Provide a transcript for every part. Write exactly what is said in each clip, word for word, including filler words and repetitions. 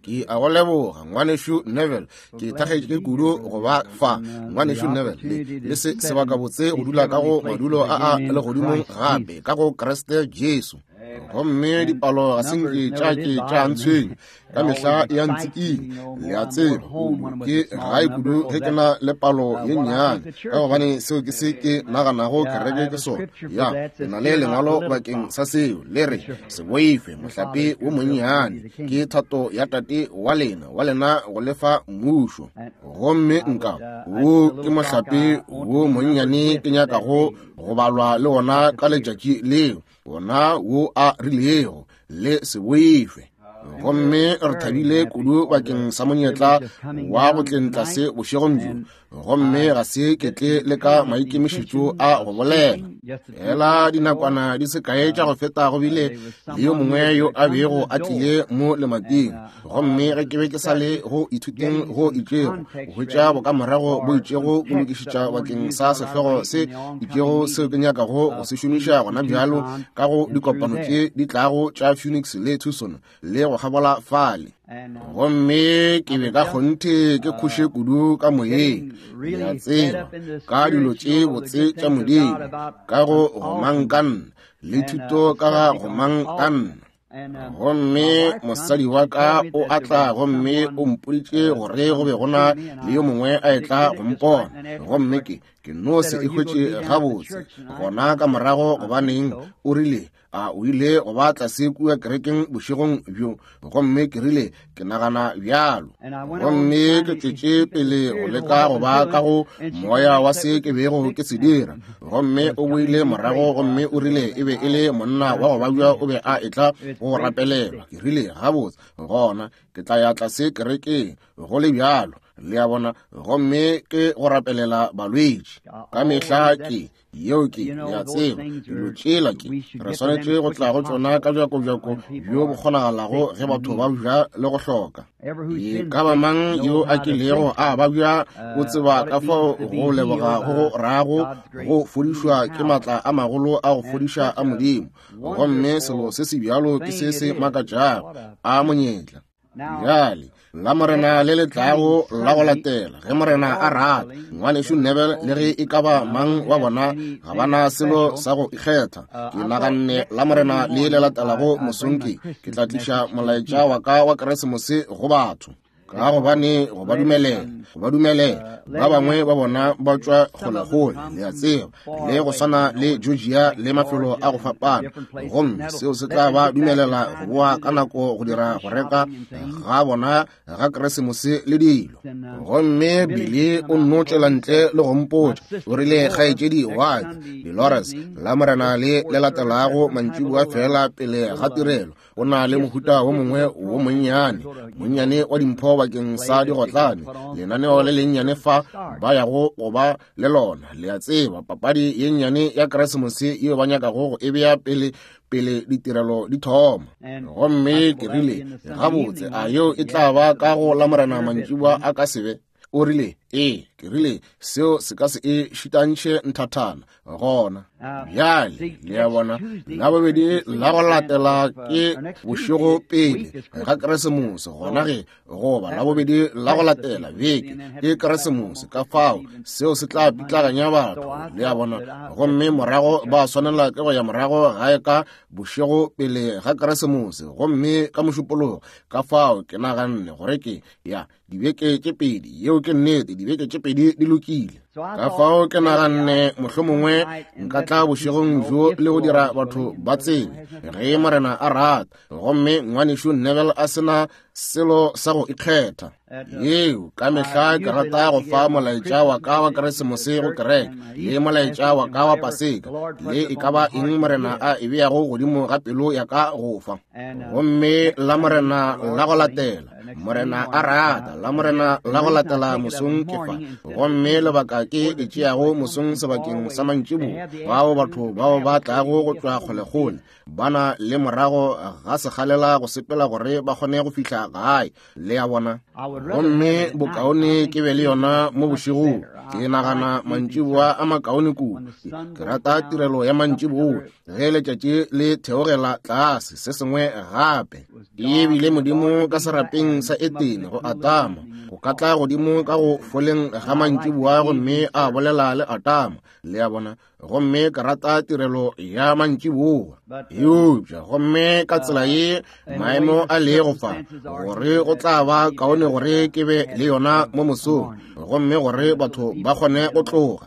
Ke a go leboga ngwanešu Neville, ke thakgetše kudu go ba fa ngwanešu Neville le, le se sebakabotse go dula ka go madulo a a legodimong gape ka go Kriste Jesu. Gomme dipalo ga se nke tša ke tša ntshwenya, ka mehla ya ntsiking, le a tseba, kudu ke gae kudu ge ke na le palo ye nnyane, ka gobane seo ke se ke naganago kereke ke sona. Ya, ke na le lengwalo bakeng sa seo, le re, se boife mohlape wo monnyane, ke thato ya Tate wa lena, wa lena go lefa mmušo. Gomme nka, wo ke mohlape wo monnyane ke nyakago go balwa le wona ka letšatši leo, wona wo a rilego, le se boife. Gomme re thabile kudu bakeng sa monyetla wa go tleng tlase bošegong bjo, gomme ga se ke tle le ka maikemišetšo a go bolela. Fela dinakwana di se kae tša go feta go bile le yo mongwe yo a bego a tlile mo lemating, gomme ge ke be ke sa le go ithuteng go itšego, go hwetša bokamorago bo itšego bo lokišetša bakeng sa sehlogo se itšego seo ke nyakago go se šomiša gona bjalo ka go dikopano tše di tlago tša Phoenix le Tucson le go kgabola fale. Gomme ke be ka kgonthe ke khoše kudu ka moyeng, le a tseba, ka dilo tše botse tša Modimo, ka go gomangkanna le thuto ka ga gomangkanna. Gomme mosadi wa ka o a tla gomme o mpoditše gore go be go na le yo mongwe a etla go mpona, gomme ke ke no se e hwetše gabotse gona ka morago. Gobaneng, o rile, a o ile go ba tlase kua kerekeng bošegong bjo? Gomme ke rile, ke nagana bjalo. Gomme ke tšwetše pele go leka go ba ka go moya wa se ke bego ke se dira. Gomme o boile morago gomme o rile e be e le monna wa go babja, o be a etla go rapelelwa. Ke rile, gabotse, gona ke tla ya tlase kerekeng go le bjalo, le a bona, gomme ke go rapelela balwetši ka mehla. Ke yeo ke ya tseba dilo tšela ke re swanetše go tla go tšona ka bjakobjako bjo bo kgonagalago ge batho ba bja le go hloka. E ka ba mang yo a kilego a babja o tseba ka fao go leboga go go rago go fodišwa ke matla a magolo a go fodiša a Modimo. Gomme selo se se bjalo ke se se makatšago a monyetla. Bjale la Morena le le tlago la go latela, ge Morena a rata, ngwanešu Neville le ge e ka ba mang wa bona ga ba na selo sa go ikgetha. Ke naganne la Morena le le latelago mosong ke ke tla tliša molaetša wa ka wa Keresemose go batho, ka gobane go ba dumelela, go ba dumelela ba bangwe ba bona ba tšwa kgolekgole, le a tseba, le go swana le Georgia le mafelo a go fapana, gomme seo se tla ba dumelela go boa ka nako go dira go reka ga bona ga Keresemose le dilo. Gomme Billy o nno tšwela ntle le go mpotša, o rile, kgaetšedi wa ka Dolores, la Morena le le latelago mantšiboa fela pele ga tirelo, o na le mohuta wo mongwe wo monnyane monnyane wa dimpho bakeng sa digotlane, lenaneo le lennyane fa ba yago go ba le lona, le a tseba, papadi ye nnyane ya Keresemose yeo ba nyakago go e bea pele pele ditirelo di thoma. Gomme ke rile, gabotse, a yeo e tla ba ka go la Morena mantšiboa a ka se be? O rile, ee. Ke rile, seo se ka se e šitantšhe nthathana gona bjale, le a bona. La bobedi la go latela ke bošego pele ga Keresemose, gona ge goba la bobedi la go latela beke ke Keresemose, ka fao seo se tla pitlaganya batho, le a bona. Gomme morago ba swanela ke go ya morago gae ka bošego pele ga Keresemose, gomme ka Mošupologo. Ka fao ke naganne gore ke ya dibeke tše pedi, yeo ke nnete, dibeke tše pedi di lokile. Ka fao ke naganne mohlomongwe nka tla bošegong bjo le go dira batho ba tsebe ge Morena a rata, gomme ngwanešu Neville a sena selo sa go ikgetha. Yeo ka mehla ke rata go fa molaetša wa ka wa Keresemose go kereke, le molaetša wa ka wa Paseka, le e ka ba eng Morena a e beago godimo ga pelo ya ka go fa. Gomme la Morena la go latela Morena a rata, la Morena la go latela mosong ke fa. Gomme lebaka ke e tšeago mosong sebakeng sa mantšiboa, bao batho bao ba tlago go tšwa kgolekgole ba na le morago ga sekgalela go sepela gore ba kgone go fihla gae, le a bona. Gomme bokaone ke be le yona mo bošegong. Ke nagana mantšiboa a makaone kudu. Ke rata tirelo ya mantšiboa ge letšatši le theogela tlase, se sengwe gape. E bile Modimo ka serapeng sa Etene go Atama, go ka tla godimo ka go foleng ga mantšiboa gomme a bolela le Atama, le a bona. Gomme ke rata tirelo ya mantšiboa. Eupša gomme ka tsela ye maemo a lego fa, gore go tla ba kaone gore ke be le yona mo mosong, gomme gore batho ba kgone go tloga.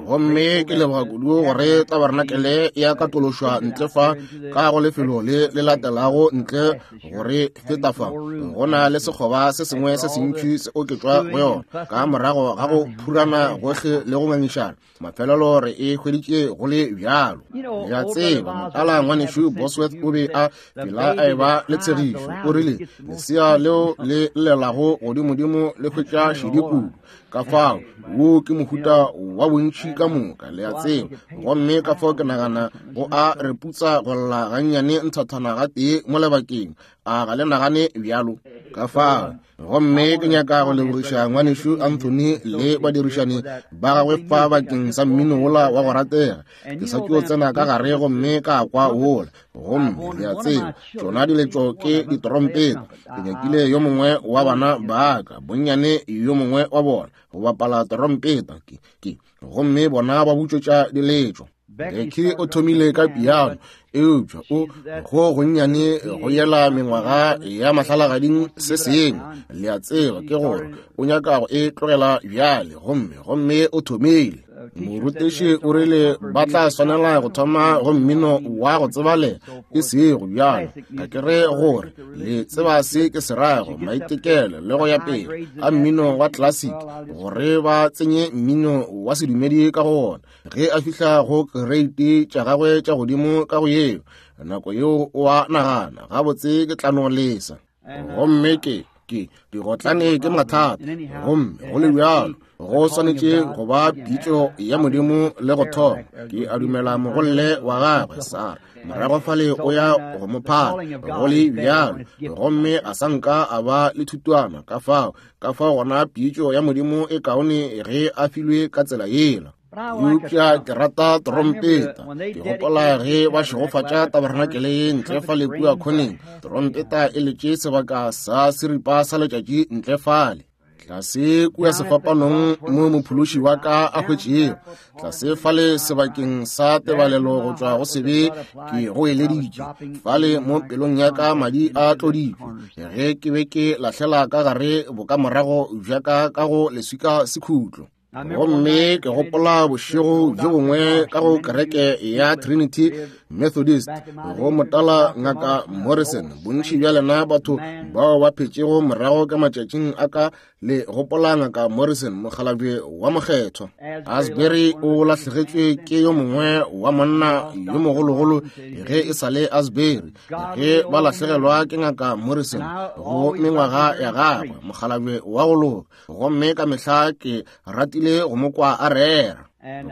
Gomme ke leboga kudu gore tabarenakele ya katološwa ntle fa ka go lefelo le le latelago ntle gore feta fa go na le sekgoba se sengwe se sentši se oketšwa go yona ka morago ga go phurana gohle le go ngangišana. Mafelelo re e hweditše go le bjalo. Le a tseba, motala ngwanešu Bosworth o be a phela a eba le tshegišo. O rile lesea leo le llelago godimodimo le hwetša šedi kudu. Ka fao wo ke mohuta wa bontši ka moka, le a tseba. Gomme ka fao ke nagana go a re putsa go lla gannyane nthathana gatee mo lebakeng. A ga le nagane bjalo? Ka fao gomme ke nyaka go lebogiša ngwanešu Anthony le badirišani ba gagwe fa bakeng sa mmino wola wa go ratega. Ke sa tšo tsena ka gare gomme ka kwa wola. Gomme le a tseba, tšona diletšo ke ditrompeta. Ke nyakile yo mongwe wa bana ba ka, bonnyane yo mongwe wa bona, go bapala trompeta. Ke, ke, gomme bona ba butšwetša diletšo. Becky o thomile ka piano, eupša o go gonnyane go yela mengwaga ya mahlalagading se sengwe, le a tseba, ke gore o nyaka go e tlogela bjale. Gomme gomme o thomile. Morutiši o rile ba tla swanela go thoma go mmino wa go tsebalega, e sego bjalo. Ga ke re gore le tseba se ke se rago, maitekelo le go ya pele a mmino wa classic, gore ba tsenye mmino wa sedumedi ka go ona. Ge a fihla go kereiti tša gagwe tša godimo ka go yeo, nako yeo o a nagana, gabotse ke tla no lesa. Gomme ke ke digotlane ke mathata. Gomme go le bjalo go swanetše go ba pitšo ya Modimo le go thoma. Ke a dumela mogolle wa gagwe Sara morago fale o ya go mo phala, go le bjalo. Gomme a sa nka a ba le thutwana. Ka fao ka fao gona pitšo ya Modimo e kaone ge a filwe ka tsela yela. Eupša ke rata trompeta. Ke gopola ge ba šegofatša tabarenakele ye ntle fale kua khoneng, trompeta e letše sebaka sa seripa sa letšatši ntle fale. Tlase kua sefapanong mo mophološi wa ka a hwetšego, tlase fale sebakeng sa tebalelo go tšwa go sebe ke go eleditše, fale mo pelong ya ka madi a tloditšwe, ge ke be ke lahlela ka gare bokamorago bja ka ka go leswika sekhutlo. Gomme ke gopola bošego bjo bongwe ka go kereke ya Trinity Methodist go motala ngaka Morrison. Bontši bja lena batho bao ba phetšego morago ka matšatšing a ka le gopola ngaka Morrison, mokgalabje wa mokgethwa. Asbury o lahlegetšwe ke yo mongwe wa monna yo mogologolo ge e sa le Asbury, ge ba lahlegelwa ke ngaka Morrison go mengwaga ya gagwe, mokgalabje wa go loka. Gomme ka mehla ke ratile go mo kwa a rera.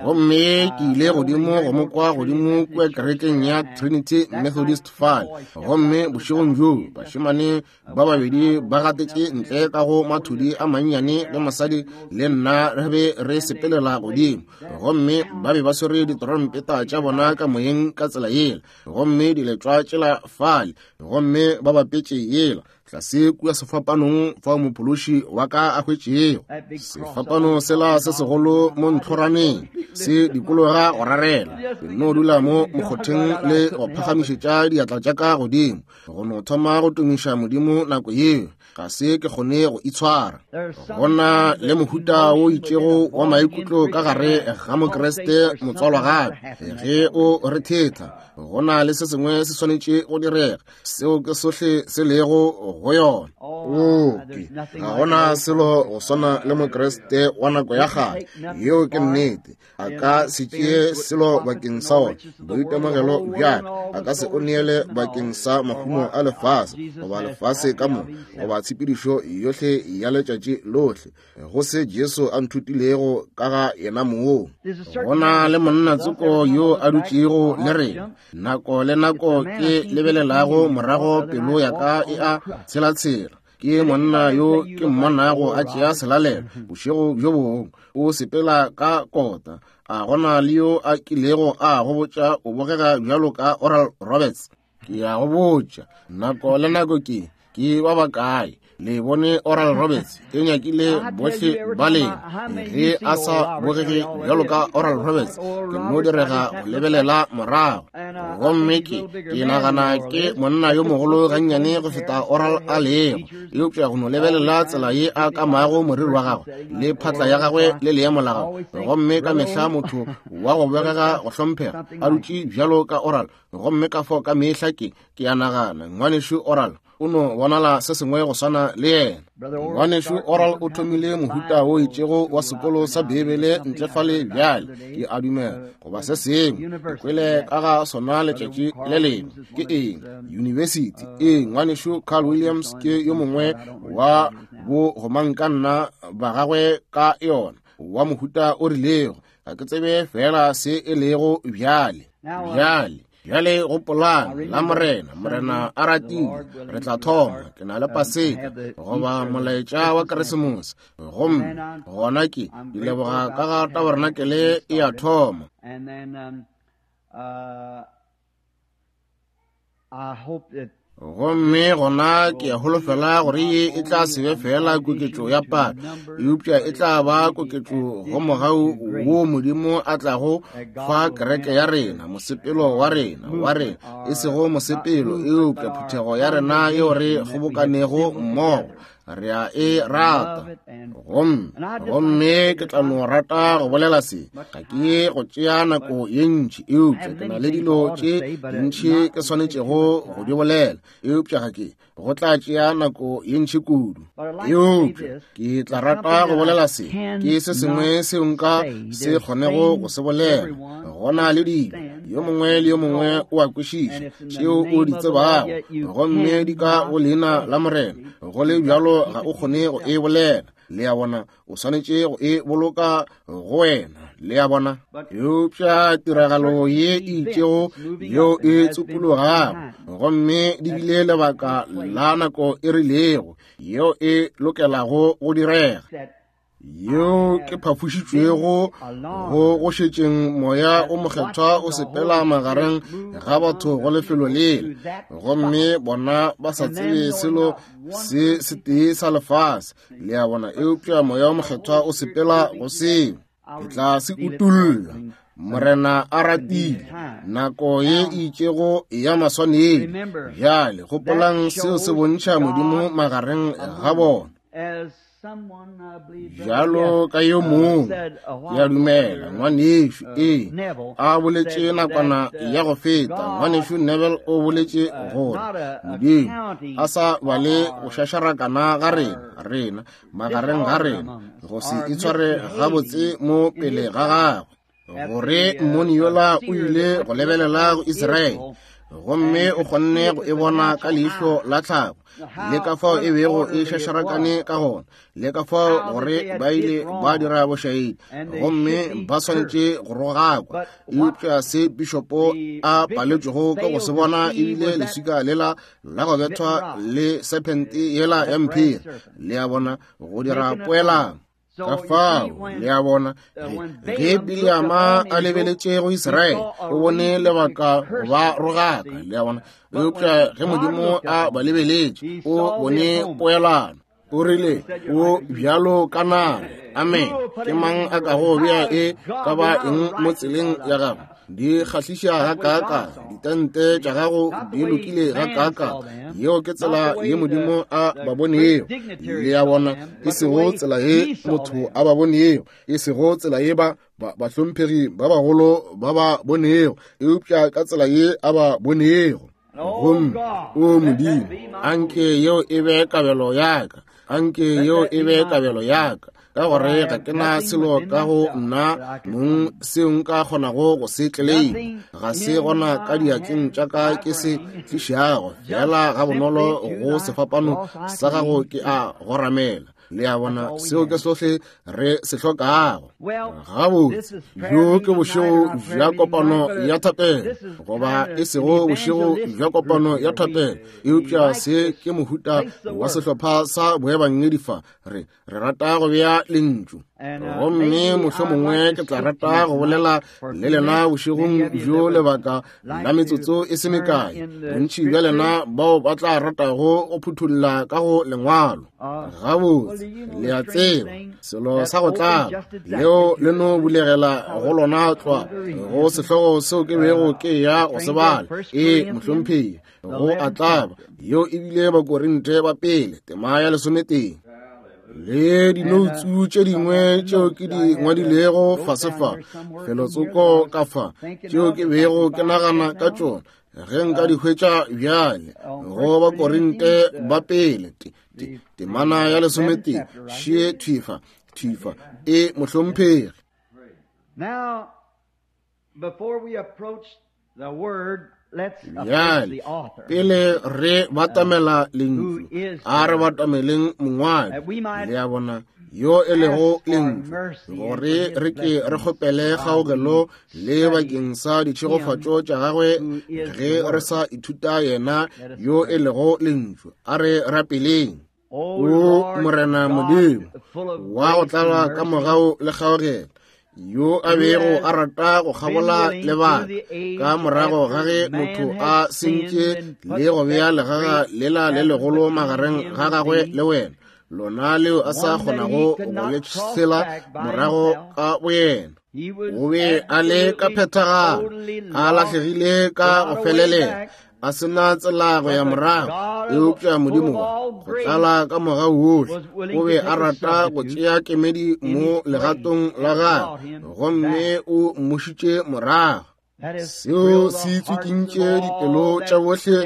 Gomme ke ile godimo go mo kwa godimo kua kerekeng ya Trinity Methodist fale. Gomme bošegong bjoo bašemane ba babedi ba gatetše ntle ka go mathudi a mannyane le mosadi le nna re be re sepelela godimo. Gomme ba be ba swere ditrompeta tša bona ka moyeng ka tsela yela, gomme diletšwa tšela fale, gomme ba bapetše yela tlase kua sefapanong fao mophološi wa ka a hwetšego. Sefapano sela se segolo mo ntlhoraneng se dikologa go rarela. Ke no dula mo mokgotheng le go phagamišetša diatla tša ka godimo, go no thoma go tumiša Modimo nako yeo. Ga se ke kgone go itshwara. Go na le mohuta wo itšego wa maikutlo ka gare ga Mokriste motswalwa gape ge o re thetha. Go na le se sengwe se swanetše go direga. Seo ke sohle se lego go yona. Oo, ke ga gona selo go swana le Mokriste wa nako ya kgale. Yeo ke nnete. A ka se tšee selo bakeng sa ona boitemogelo bja ka, a ka se o neele bakeng sa mahumo a lefase goba lefase ka moka goba tshepedišo yohle ya letšatši lohle, go se Jesu a nthutilego ka ga yena mong. Go na le monna tsoko yo a dutšego le rena nako le nako ke lebelelago morago, pelo ya ka e a tshelatshela. Ke monna yo ke mmonago a tšea selalelo bošego bjo bongwe, o sepela ka kota. A gona le yo a kilego a go botša o bogega bjalo ka Oral Roberts? Ke a go botša, nako le nako ke ke ba bakae le bone Oral Roberts? Ke nyakile bohle ba lena. Ge a sa bogege bjalo ka Oral Roberts, ke no direga go lebelela morago. Gomme ke ke nagana ke monna yo mogolo gannyane go feta Oral a lego, eupša go no lebelela tsela ye a kamago moriri wa gagwe le phatla ya gagwe le leemo la gagwe, gomme ka mehla motho wa go bogega go hlomphega a dutše bjalo ka Oral. Gomme ka fao ka mehla ke ke a nagana ngwanešu Oral o no bonala se sengwe go swana le yena. Ngwanešu Oral o thomile mohuta wo itšego wa sekolo sa Bibele ntle fale bjale, ke a dumela, goba se sengwe. Ke kwele ka ga sona letšatši le lengwe. Ke eng? University. Ee, ngwanešu Carl Williams ke yo mongwe wa bo gomangkanna ba gagwe ka yona, wa mohuta o rilego. Ga ke tsebe fela se e lego bjale. Bjale bjale gopolang la Morena, Morena a ratile, re tla thoma. Ke na le Paseka goba molaetša wa Keresemose, gomme gona ke di leboga ka ga tabernacle e a thoma. Gomme gona ke a holofela gore ye e tla se be fela koketšo ya palo, eupša e tla ba koketšo go mogau wo Modimo a tlago fa kereke ya rena, mosepelo wa rena, wa rena, e sego mosepelo, eupša phuthego ya rena yeo re kgobokanego mmogo. Re a e rata. Gomme gomme ke tla no rata go bolela se. Ga ke ye go tšea nako ye ntši, eupša ke na le dilo tše dintši ke swanetšego go di bolela, eupša ga ke go tla tšea nako ye ntši kudu. Eupša ke tla rata go bolela se, ke se sengwe seo nka se kgonego go se bolela. Go na le dilo yo mongwe le yo mongwe o a kwešiša tšeo o di tsebago, gomme di ka go leina la Morena, go le bjalo ga o kgone go e bolela. Le a bona, o swanetše go e boloka go wena. Le a bona, eupša tiragalo ye e itšego yeo e tsupologago, gomme di bile lebaka la nako e rilego yeo e lokelago go direga, yeo ke phafošitšwego go go šetšeng moya o mokgethwa o sepela magareng ga batho go lefelo lela, gomme bona ba sa tsebe selo se setee sa lefase. Le a bona, eupša moya o mokgethwa o sepela go seo. Ke tla se utolla, Morena a ratile, nako ye e itšego ya maswanedi. Bjale gopolang, seo se bontšha Modimo magareng ga bona. Bjalo ka yo mongwe, ke a dumela ngwanešu ee a boletše nakwana ya go feta, ngwanešu Neville o boletše gore Modimo a sa bale go šašarakana ga rena, rena magareng ga rena, go se itshware gabotse mo pele ga gagwe, gore mmoni yola o ile go lebelela go Israele, gomme o kgonne go e bona ka leihlo la tlhago, le ka fao e bego e šašarakane ka gona, le ka fao gore ba ile ba dira bošaedi, gomme ba swanetše go rogakwa. Eupša se pišopo a paletšwego ka go se bona ebile leswika lela la go bethwa le serpente yela ya mphiri. Le a bona, go dira poelano. Ka fao, le a bona, ge Bileama a lebeletše go Israele, o bone lebaka go ba rogaka. Le a bona, eupša ge Modimo a ba lebeletše, o bone poelano. O rile, o bjalo ka nale. Amen. Ke mang a kago bea e ka ba eng mo tseleng ya gagwe? Di kgahliša gakaaka, ditente tša gago di lokile gakaaka. Yeo ke tsela ye Modimo a ba bonego. Le a bona, e sego tsela ye motho a ba bonego, e sego tsela ye ba bahlomphegi ba bagolo ba ba bonego, eupša ka tsela ye a ba bonego. Gomme o Modimo, anke yeo e be kabelo ya ka, anke yeo e be kabelo ya ka, ka gore ga ke na selo ka go nna mong seo nka kgonago go se tleleima. Ga se gona ka diatleng tša ka ke se tlišago, fela gabonolo go sefapano sa gago ke a goramela. Le a bona, seo ke sohle re se hlokago. Gabotse, bjo ke bošego bja kopano ya thapelo, goba e sego bošego bja kopano ya thapelo, eupša se ke mohuta wa sehlopha sa boebangedi fa. Re re rata go bea lentšu, gomme mohlomongwe ke tla rata go bolela le lena bošegong bjo lebaka la metsotso e se mekae. Bontši bja lena bao ba tla ratago go phuthulla ka go lengwalo. Gabotse, le a tseba, selo sa go tlaba leo le no bulegela go lona tlwa go sehlogo seo ke bego ke ya go se bala. Ee, mohlomphegi, go a tlaba. Yeo e bile Bakorinte ba pele, tema ya lesometee. Le dinoutsu tše dingwe tšeo ke di ngwadilego fase fa, felotsoko ka fa, tšeo ke bego ke nagana ka tšona ge nka di hwetša bjale. Go Bakorinte ba pele, temana ya lesometee, šie thifa thifa. E mohlomphegi. Now, before we approach the word, Bjale, pele re batamela lentšu, a re batameleng mongwadi, le a bona, yo e lego lentšu, gore re ke re kgopele kgaogelo le bakeng sa ditšhegofatšo tša gagwe ge re sa ithuta yena yo e lego lentšu. A re rapeleng. O Morena Modimo wa go tlala ka mogau le kgaogelo, yo a bego a rata go kgabola lebaka ka morago ga ge motho a sentše le go bea legaga lela le legolo magareng ga gagwe le wena, lona leo a sa kgonago go le tshela morago ka boyena. O be a le ka phethagalo, a lahlegile ka go felelela, a sena tsela go ya morago, eupša Modimo go tlala ka mogau wohle o be a rata go tšea kemedi mo legatong la gagwe, gomme o mmušitše morago. Seo se tswikintše dipelo tša bohle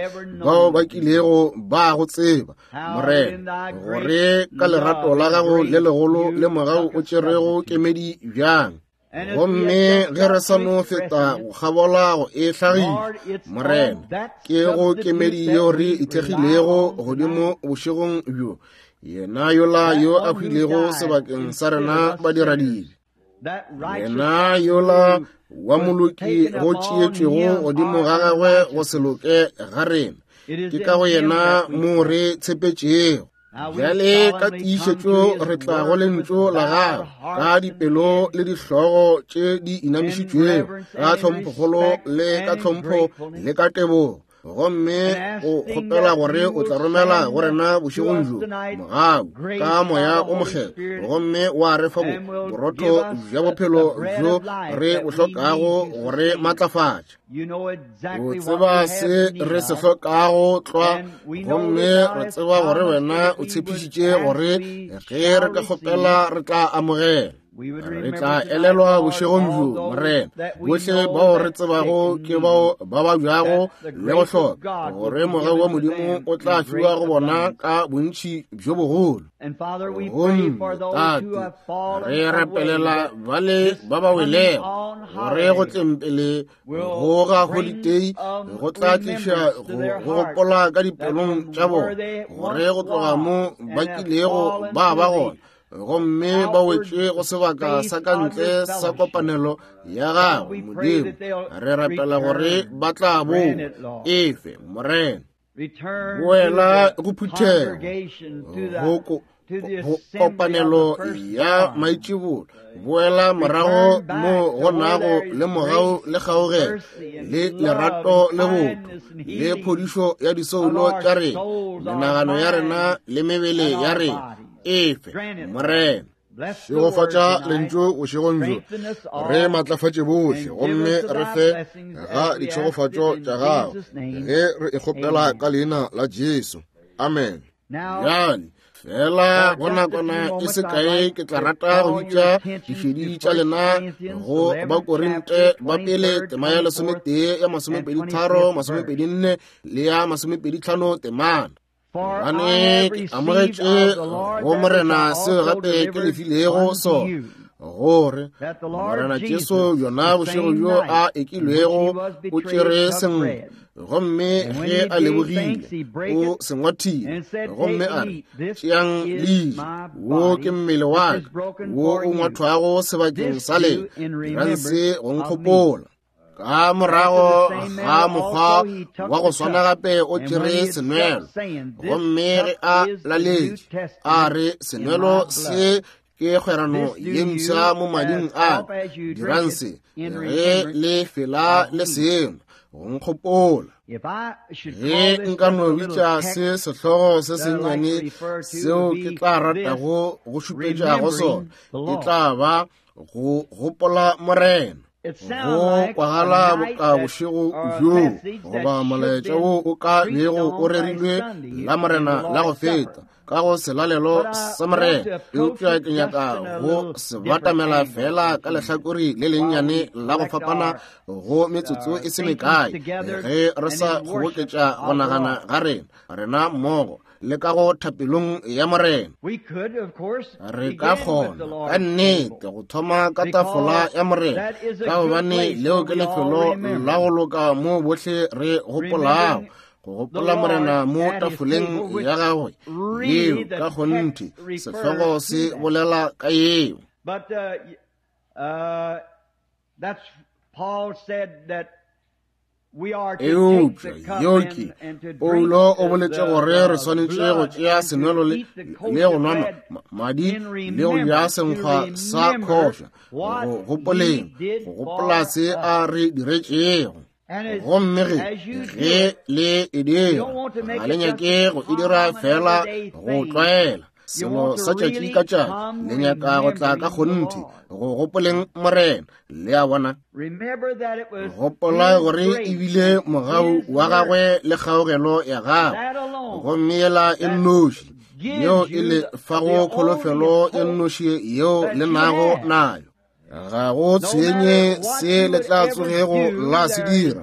bao ba kilego ba go tseba, Morena, gore ka lerato la gago le legolo le mogau o tšerego kemedi bjang. Gomme ge re sa no feta go kgabola go e hlagiša, Morena, ke go kemedi yeo re ithekgilego godimo bošegong bjo, yena yola yo a hwilego sebakeng sa rena badiradibe, yena yola wa moloki go tšeetšwego godimo ga gagwe go se loke ga rena, ke ka go yena mo re tshepetšego. Bjale ka tiišetšo re tla go lentšu la gago ka dipelo le dihlogo tše di inamišitšwego, ka tlhomphokgolo le ka tlhompho le ka tebogo, gomme o kgopela gore o tla romela go rena bošegong bjo mogau ka moya o mokgethwa, gomme wa re fa borotho bja bophelo bjo re bo hlokago gore matlafatša. O tseba se re se hlokago tlwa, gomme re tseba gore wena o tshepišitše gore ge re ka kgopela re tla amogela. Re tla elelwa bošegong bjo, Morena, bohle bao re tsebago ke bao ba babjago le go hloka, gore mogau wa Modimo o tla fiwa go bona ka bontši bjo bogolo. Gomme Tate, re rapelela bale ba ba welego, gore go tleng pele go ga holitei go tla tliša go gopola ka dipelong tša bona, gore go tloga mo ba kilego ba ba gona, gomme ba wetše go sebaka sa ka ntle sa kopanelo ya gago. Modimo, re rapela gore ba tla boa. Efe, Morena, boela go phuthego, go kopanelo ya maitšibulo, boela morago mo go nago le mogau le kgaogelo le lerato le botho le phodišo ya disoulo tša rena, menagano ya rena le mebele ya rena. Efe, Morena. Šegofatša lentšu bošegong bjo, re matlafatše bohle, gomme re fe ga ditšhegofatšo tša gago, ge re e kgopela ka leina la Jesu. Amen. Bjale fela go nakwana e se kae ke tla rata go bitša dišedi tša lena go Bakorinte ba pele tema ya lesometee ya masomepedi tharo masomepedi nne le ya masomepedi tlhano temana. Gobane ke amogetše go Morena seo gape ke le filego sona, gore Morena Jesu bjona bošego bjo a ekilwego o tšere senkgwa, gomme ge a lebogile o se ngwathile, gomme a re, tšeang le je, wo ke mmele wa ka wo o ngwathwago sebakeng sa lena, dirang se go nkgopola. Ka morago ga mokgwa wa go swana gape o tšere senwelo, gomme ge a laletše a re, senwelo se ke kgwerano ye mpsha mo mading a ka, dirang se ge le fela le sengwe go nkgopola. Ge nka no bitša se sehlogo se sennyane seo ke tla ratago go šupetša go sona, e tla ba go gopola Morena. Go kwagala boka bošego bjo goba molaetša wo o ka bego o rerilwe la Morena la go feta ka go selalelo sa Morena, eupša ke nyaka go se batamela fela ka lehlakore le lennyane la go fapana go metsotso e se mekae, ge re sa kgoboketša go nagana ga rena rena mmogo le ka go thapelong ya Morena. Re ka kgona ka nnete go thoma ka tafola ya Morena, ka gobane leo ke lefelo la go loka mo bohle re gopolago go gopola Morena mo tafoleng ya gagwe, yeo ka kgonthe sehlogo se bolela ka yeo. But uh, uh, that's Paul said that Eupša yeo ke Paulo o boletše gore re swanetše go tšea senwelo le go nwa madi le go ja senkgwa sa khoša, go gopoleng go gopola se a re diretšego. Gomme ge ge le e dira, ga le nyake go e dira fela go tlwaela selo sa tšatši ka tšatši, le nyaka go tla ka kgonthe go gopoleng Morena. Le a bona, gopola gore ebile mogau wa gagwe le kgaogelo ya gagwe, gomme yela e nnoši yeo e le fago kholofelo e nnoši yeo le nago nayo. Ga go tshwenye se le tla tsogego la se dira,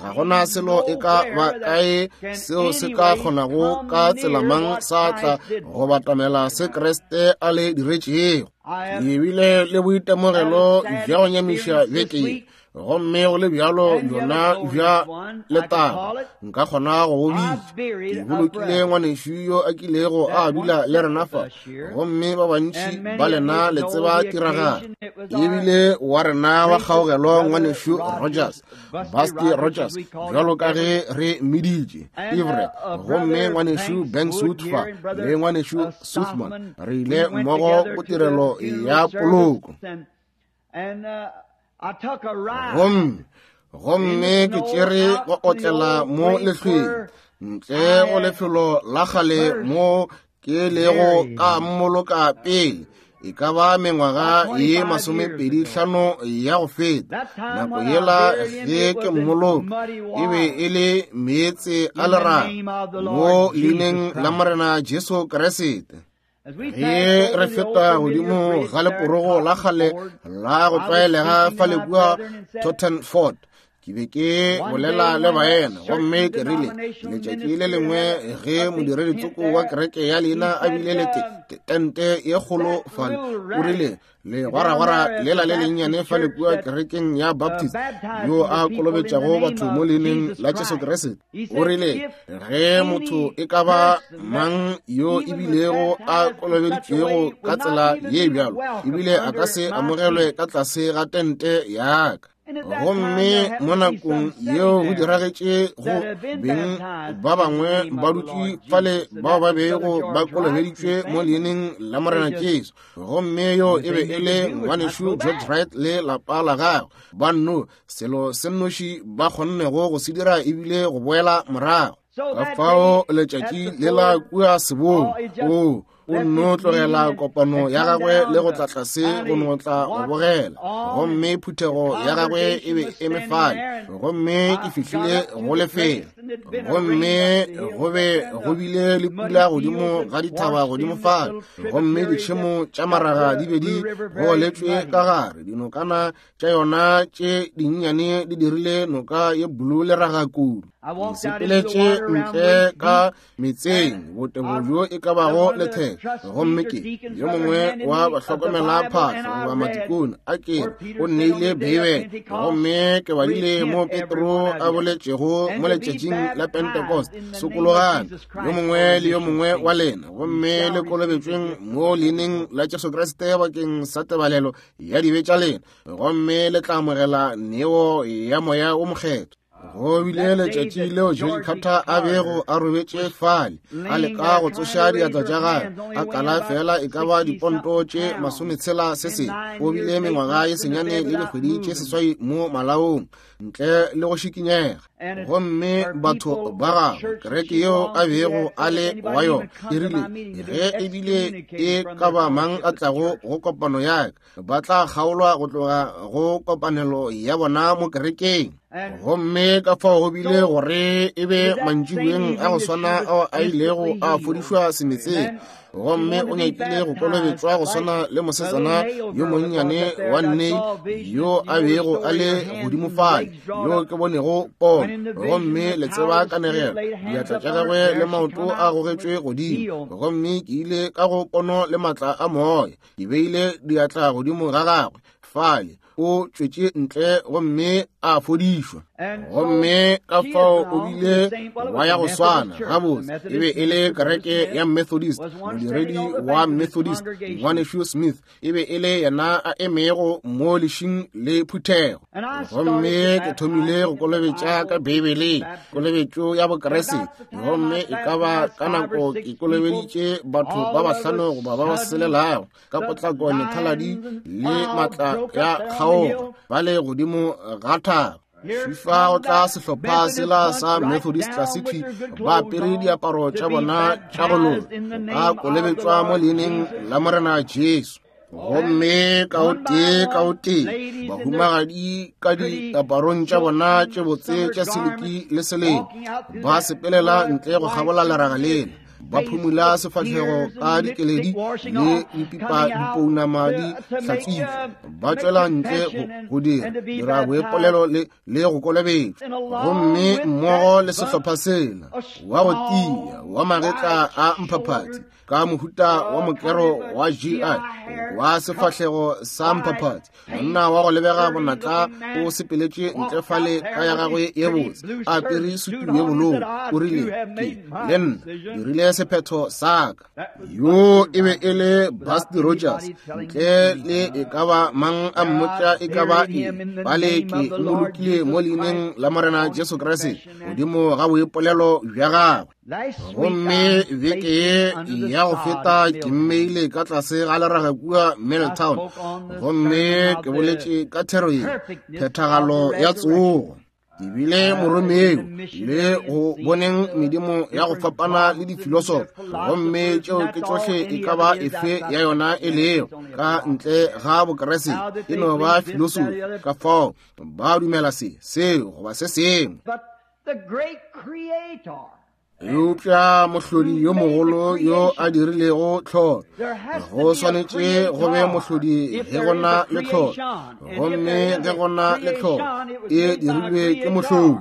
ga gona selo e ka ba kae seo se ka kgonago ka tsela mang sa tla go batamela se Kriste a le diretšego. Ke bile le boitemogelo bja go nyamiša beke, gomme go le bjalo bjona bja letago nka kgona go go bitša. Ke bolokile ngwanešu yo a kilego a dula le rena fa, gomme ba bantši ba lena le tseba tiragalo. Ebile wa rena wa kgaogelo ngwanešu Rogers, Busty Rogers, bjalo ka ge re mmiditše Everett, gomme ngwanešu Banks fa le ngwanešu Suthman, re ile mmogo go tirelo ya poloko. Gomme gomme ke tšere go otlela mo lehlweng ntle go lefelo la kgale mo ke lego ka mmoloka pele e ka ba mengwaga ye masomepedi hlano ya go feta. Nako yela ge ke mmoloka e be e le meetse a lerato mo leineng la Morena Jesu Kriste. Ge re feta godimo ga leporogo la kgale la go tlwaelega fa le kua Tottenford, ke be ke bolela le baena, gomme ke rile letšatši le lengwe ge modiredi-tsoko wa kereke ya leina a bile le tente ye kgolo fale, o rile legwaragwara lela le lennyane fa le kua kerekeng ya Baptist yo a kolobetšago batho mo leineng la Jesu Kriste, o rile ge motho e ka ba mang yo ebilego a kolobeditšwego ka tsela ye bjalo, ebile a ka se amogelwe ka tlase ga tente ya ka. Gomme mo nakong yeo go diragetše go beng ba bangwe ba dutše fale bao ba bego ba kolobeditšwe mo leineng la Morena Jesu, gomme yo e be e le ngwanešu George Wright le lapa la gagwe. Ba nno selo se nnoši ba kgonnego go se dira ebile go boela morago. Ka fao letšatši lela kua sebong, o O nno tlogela kopano ya gagwe le go tla tlase go no tla go bogela. Gomme phuthego ya gagwe e be eme fale, gomme ke fihlile go lefelo. Gomme go be go bile le pula godimo ga dithaba godimo fale, gomme ditšhemo tša maraga di be di goletšwe ka gare. Dinokana tša yona tše dinnyane di dirile noka ye blue le raga kudu. Ke sepeletše ntle ka metseng botebo bjo e ka bago letheka, gomme ke yo mongwe wa bahlokomela phahlo goba matikone a ke o nneile Beibele, gomme ke badile mo Petro a boletšego mo letšatšing la Pentecost, sokologang yo mongwe le yo mongwe wa lena, gomme le kolobetšweng mo leineng la Jesu Kriste bakeng sa tebalelo ya dibe tša lena, gomme le tla amogela neo ya Moya o Mokgethwa. Go bile letšatši leo George Carter a bego a robetše fale, a leka go tsoša diatla tša gagwe, a kala fela e ka ba diponto tše masometshela se sengwe. O bile mengwaga ye senyane le dikgwedi tše seswai mo malaong ntle le go šikinyega. Gomme batho ba gagwe, kereke yeo a bego a le wa yona, e rile ge ebile e ka ba mang a tlago go kopano ya ka, ba tla kgaolwa go tloga go kopanelo ya bona mo kerekeng. Gomme ka fao go bile gore e be mantšiboeng a go swana ao a ilego a fodišwa semetseng, gomme o nyakile go kolobetšwa go swana le mosetsana yo monnyane wa nne yo a bego a le godimo fale, yo ke bonego pono. Gomme le tseba kanegelo, diatla tša gagwe le maoto a gogetšwe godimo, gomme ke ile ka go pono le maatla a moya, ke beile diatla godimo ga gagwe fale, o tšwetše ntle gomme a fodišwa. Gomme ka fao o bile wa ya go swana gabotse, e be e le kereke ya Methodist, modiredi wa Methodist ngwanešu Smith e be e le yena a emego mo lešing le phuthego. Gomme ke thomile go kolobetša ka Beibeleng, kolobetšo ya Bokriste, gomme e ka ba ka nako ke kolobeditše batho ba bahlano goba ba ba selelago ka potlako methaladi le matla ya kgaoga ba le godimo ga thaba. Fifa o tla sehlopha sela sa Methodist tlase thwi, ba apere diaparo tša bona tša go loka, ba kolobetšwa mo leineng la Morena Jesu. Gomme ka o tee ka o tee bahumagadi ka diaparong tša bona tše botse tša siliki le seleng ba sepelela ntle go kgabola leraga lela, ba phumula sefahlego ka dikeledi le dipipa dipounama di hlatswitšwe, ba tšwela ntle go dira dira boipolelo le le go kolobetšwa. Gomme mmogo le sehlopha sela wa go tia wa magetla a mphaphathi ka mohuta wa mokero wa G I wa sefahlego sa mphaphathi, monna wa go lebega bonatla o sepeletše ntle fale ka ya gagwe ye botse, a apere sutu ye bolou, o rile, ke le nna dirile sephetho sa ka. Yo e be e le Busty Rogers, ntle le e ka ba mang a mmotša e ka ba eng, bale ke mmolokile mo leineng la Morena Jesu Kriste godimo ga boipolelo bja gagwe. Gomme beke ye ya go feta ke mmeile ka tlase ga leraga kua Middletown, gomme ke boletše ka thero ye, phethagalo ya tsogo. Ke bile moromeo le go boneng medimo ya go fapana le difilosofi, gomme tšeo ke tšohle e ka ba efe ya yona e lego ka ntle ga Bokriste, e no ba filosofi. Ka fao ba dumela se seo goba se sengwe. Eupša mohlodi yo mogolo yo a dirilego tlholo, go swanetše go be mohlodi ge go na le tlholo, gomme ge go na le tlholo e dirilwe ke mohlodi.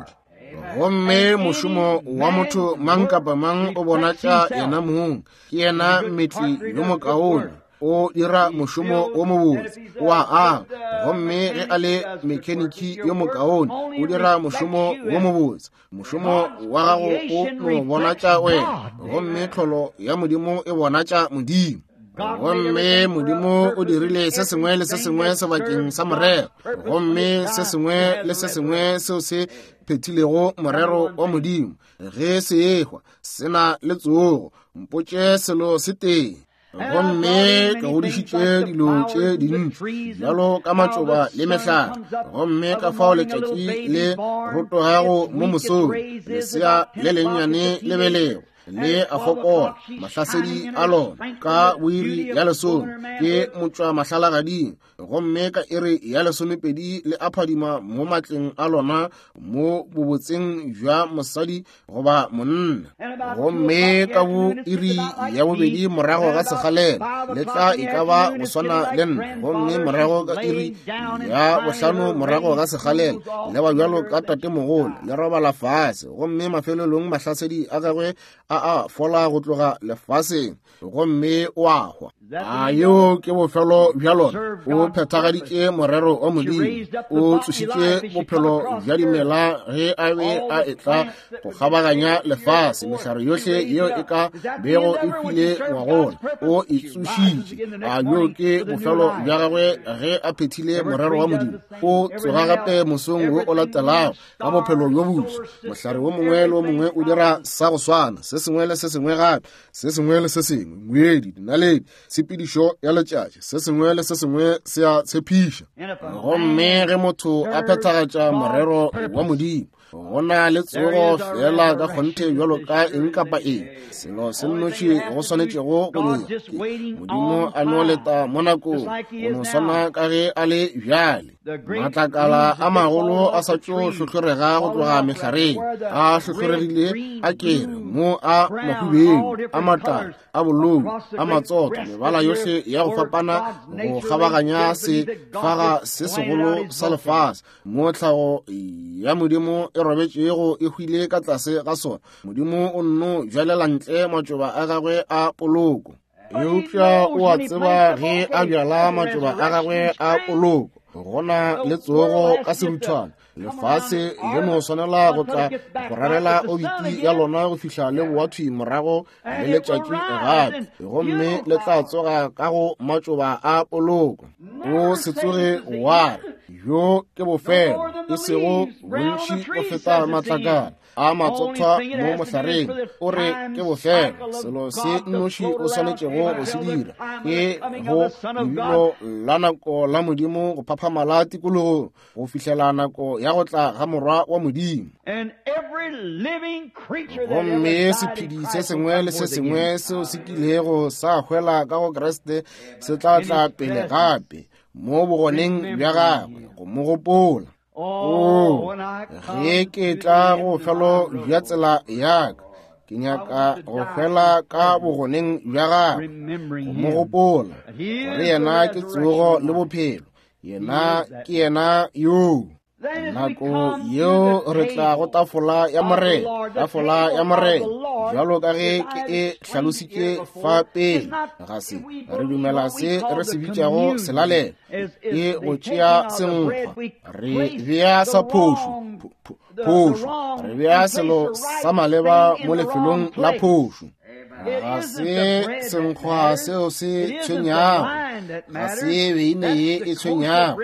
Gomme mošomo wa motho mang kapa mang o bonatša yena mong, ke yena mmetli yo mokaone, o dira mošomo o mobotse, o a aga. Gomme ge a le mekheniki yo mokaone, o dira mošomo wo mobotse, mošomo wa gago o no bonatša wena, gomme tlholo ya Modimo e bonatša Modimo. Gomme Modimo o dirile se sengwe le se sengwe sebakeng sa morero, gomme se sengwe le se sengwe seo se phethilego morero wa Modimo, ge se ehwa se na le tsogo. Mpotše selo se tee. Gomme ke godišitše dilo tše dintši bjalo ka matšoba le mehlare, gomme ka fao letšatši le rotogago mo mosong, lesea le lennyane le belego Le a fokola mahlasedi a lona ka boiri ya lesome ke motšwa mahlalagading, gomme ka iri ya lesomepedi le a phadima mo matleng a lona mo bobotseng bja mosadi goba monna. Gomme ka bo iri ya bobedi morago ga sekgalela le tla e ka ba go swana le nna, gomme morago ka iri ya bohlano morago ga sekgalela le ba bjalo ka tatemogolo le robala fase, gomme mafelelong mahlasedi a gagwe a a fola go tloga lefaseng, gomme o a hwa. A yeo ke bofelo bja lona. O phethagaditše morero wa Modimo, o tsošitše bophelo bja dimela ge a be a etla go kgabaganya lefase. Mehlare yohle yeo e ka bego e hwile ngwagola o e tsošitše. A yo ke bofelo bja gagwe ge a phethile morero wa Modimo. O tsoga gape mosong wo o latelago ka bophelo bjo boswa. Mohlare wo mongwe le wo mongwe o dira sa go swana, se sengwe le se sengwe gape, se sengwe le se sengwe, ngwedi, dinaledi, tshepedišo ya letšatši, se sengwe le se sengwe se a tshepiša. Gomme ge motho a phethagatša morero wa Modimo, go na le tsogo fela ka kgonthe bjalo ka eng kapa eng. Selo se nnoši go swanetšego go dira ke Modimo a no leta mo nakong, go no swana ka ge a le bjale. Matlakala a magolo a sa tšo hlohlorega go tloga mehlareng, a hlohloregile a kere mo a mahubedu, a matala, a bolou, a matsotho, mebala yohle ya go fapana go kgabaganya sefaga se segolo sa lefase mo tlhago ya Modimo e robetšego e hwile ka tlase ga sona. Modimo o nno bjalela ntle matšoba a gagwe a poloko, eupša o a tseba ge a bjala matšoba a gagwe a poloko gona le tsogo ka seruthwana. Lefase le no swanela go tla go rarela obiti ya lona go fihla le boa thwi morago le letšatši gape, gomme le tla tsoga ka go matšoba a poloko. O se tsoge wa re yo ke bofelo, e sego bontši go feta matlakala a matsothwa mo mohlareng. O re ke bofelo. Selo se nnoši o swanetšego go se dira ke go lebilo la nako la Modimo go phaphamala tikologong go fihlela nako ya go tla ga Morwa wa Modimo. Gomme sephedi se sengwe le se sengwe seo se kilego sa hwela ka go Kriste se tla tla pele gape mo bogoneng bja gagwe go mo gopola. Oh, ge ke tla go bofelo bja tsela ya ka, ke nyaka go hwela ka bogoneng bja gagwe go mo gopola, gore yena ke tsogo le bophelo, yena ke yena yoo. Nako yeo re tla go tafola ya Morena, tafola ya Morena, bjalo ka ge ke e hlalositše fa pele, ga se re dumela se re se bitšago selalelo, ke go tšea senkgwa, re bea sa phošo, phošo, re bea selo sa maleba mo lefelong la phošo. Ga se senkgwa seo se tshwenyago, ga se beine ye e tshwenyago,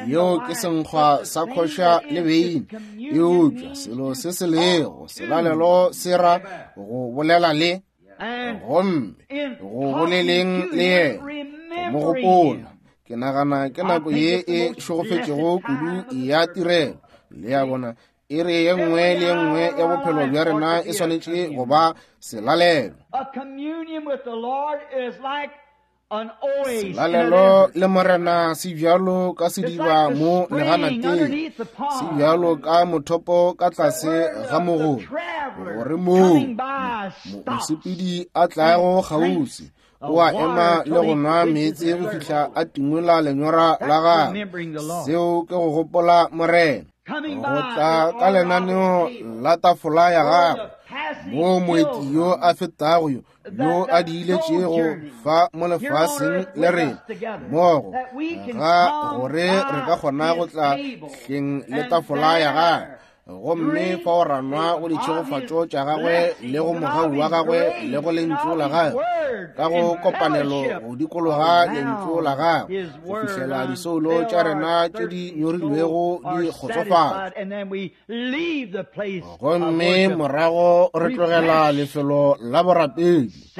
yeo ke senkgwa sa khoša le beine, eupša selo se se lego selalelo se ra go bolela le, gomme go boleleng le yena, go mo gopola. Ke nagana ke nako ye e šegofetšego kudu ya tirelo. Le a bona, iri ye nngwe le ye nngwe ya bophelo bja rena e swanetše go ba selalelo. Selalelo le Morena se bjalo ka sediba mo leganateng, se bjalo ka mothopo ka tlase ga mogobe, gore moo mosepedi a tlago kgauswi o a ema le go nwa meetse go fihla a timola lenyora la gagwe. Seo ke go gopola Morena, go tla ka lenaneo la tafola ya gagwe, moo moeti yo a fetago yo yo a diiletšego fa mo lefaseng le rena mmogo, ga gore re ka kgona go tla hleng le tafola ya gagwe, gomme fao ra nwa go ditšhegofatšo tša gagwe le go mogau wa gagwe le go lentšu la gagwe, ka go kopanelo go dikologa lentšu la gagwe go fihlela disoulo tša rena tše di nyorilwego di kgotsofatšwa. Gomme morago re tlogela lefelo la borapedi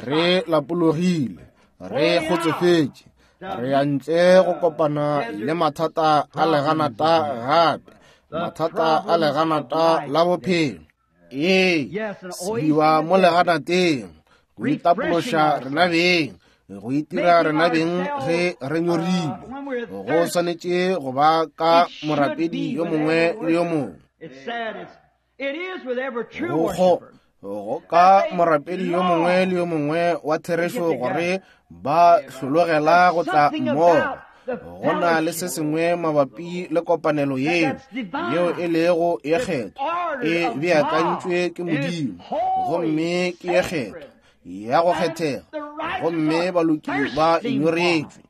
re lapologile, re kgotsofetše, re ya ntle go kopana le mathata a leganata gape, mathata a leganata la bophelo. Ee, sediba mo leganateng, go itapološa rena beng, go itira rena beng ge re nyorilwe. Go swanetše go ba ka morapedi yo mongwe le yo mongwe. Go go ka morapedi yo mongwe le yo mongwe wa therešo gore ba hlologela go tla mmogo. Go na le se sengwe mabapi le kopanelo yeo, yeo e lego ye kgethwa, e beakantšwe ke Modimo, gomme ke ye kgethwa, ya go kgethega, gomme baloki ba nyoretšwe.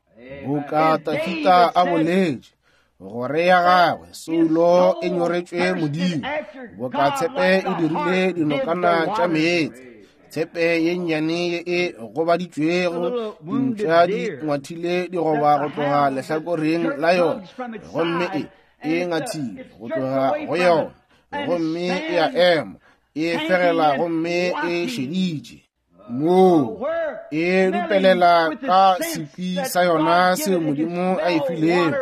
Boka Dafida a boletše gore ya gagwe soulo e nyoretšwe Modimo, boka tshepe e dirile dinokana tša meetse, tshepe ye nnyane ye e gobaditšwego, dintša di ngwathile digoba go tloga lehlakoreng la yona, gomme e e ngathile go tloga go yona, gomme e a ema, e fegela gomme e šeditše. Moo e dupelela ka sekwi sa yona seo Modimo a e filego,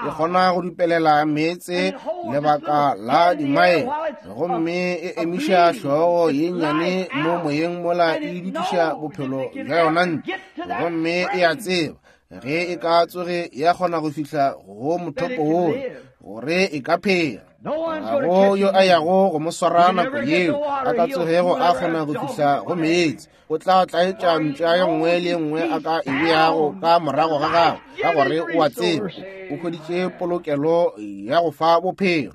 e kgona go dupelela meetse lebaka la dimaele, gomme e emiša hlogo ye nnyane mo moyeng mola e dutiša bophelo bja yona ntle, gomme e a tseba ge e ka tsoge ya kgona go fihla go mothopo wola gore e ka phela. Ga go yo a yago go mo swara nako yeo a ka tsogego a kgona go fihla go meetse. O tla tlaetša mpša ye nngwe le ye nngwe a ka e beago ka morago ga gagwe, ka gore o a tseba o hweditše polokelo ya go fa bophelo.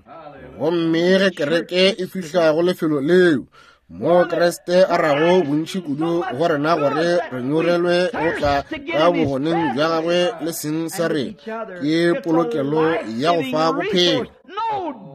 Gomme ge kereke e fihla go lefelo leo mo Kriste a rago bontši kudu go rena gore re nyorelwe go tla ka bogoneng bja gagwe le seng sa rena, ke polokelo ya go fa bophelo.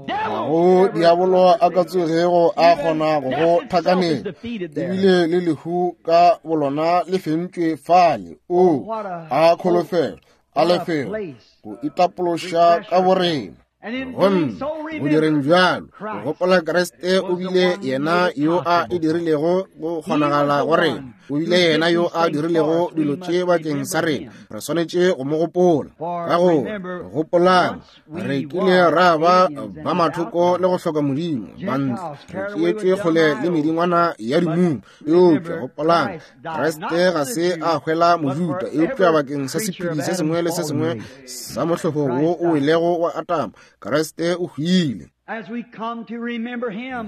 Ga go diabolo a ka tsogego a kgona go go thakanela, ebile le lehu ka bolona le fentšwe fale. O a kholofelo, a lefelo go itapološa ka borena. Gomme go direng bjalo, go gopola Kriste o bile yena yo a e dirilego go kgonagala go rena, o bile yena yo a dirilego dilo tše bakeng sa rena. Re swanetše go mo gopola. Ka gore gopolang, re kile ra ba ba mathoko le go hloka Modimo, bantle, re tšeetšwe kgole le medingwana ya dimumu. Eupša gopolang, Kriste ga se a hwela Mojuda, eupša bakeng sa sephedi se sengwe le se sengwe sa mohlobo wo o welego wa Atama, Kriste o hwile.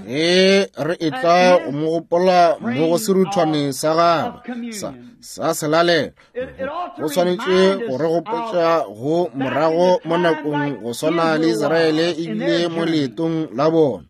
Ge re etla go mo gopola mo go seruthwane sa gagwe sa, sa selalelo, go swanetše go re gopotša go morago mo nakong go swana le Israele ebile mo leetong la bona.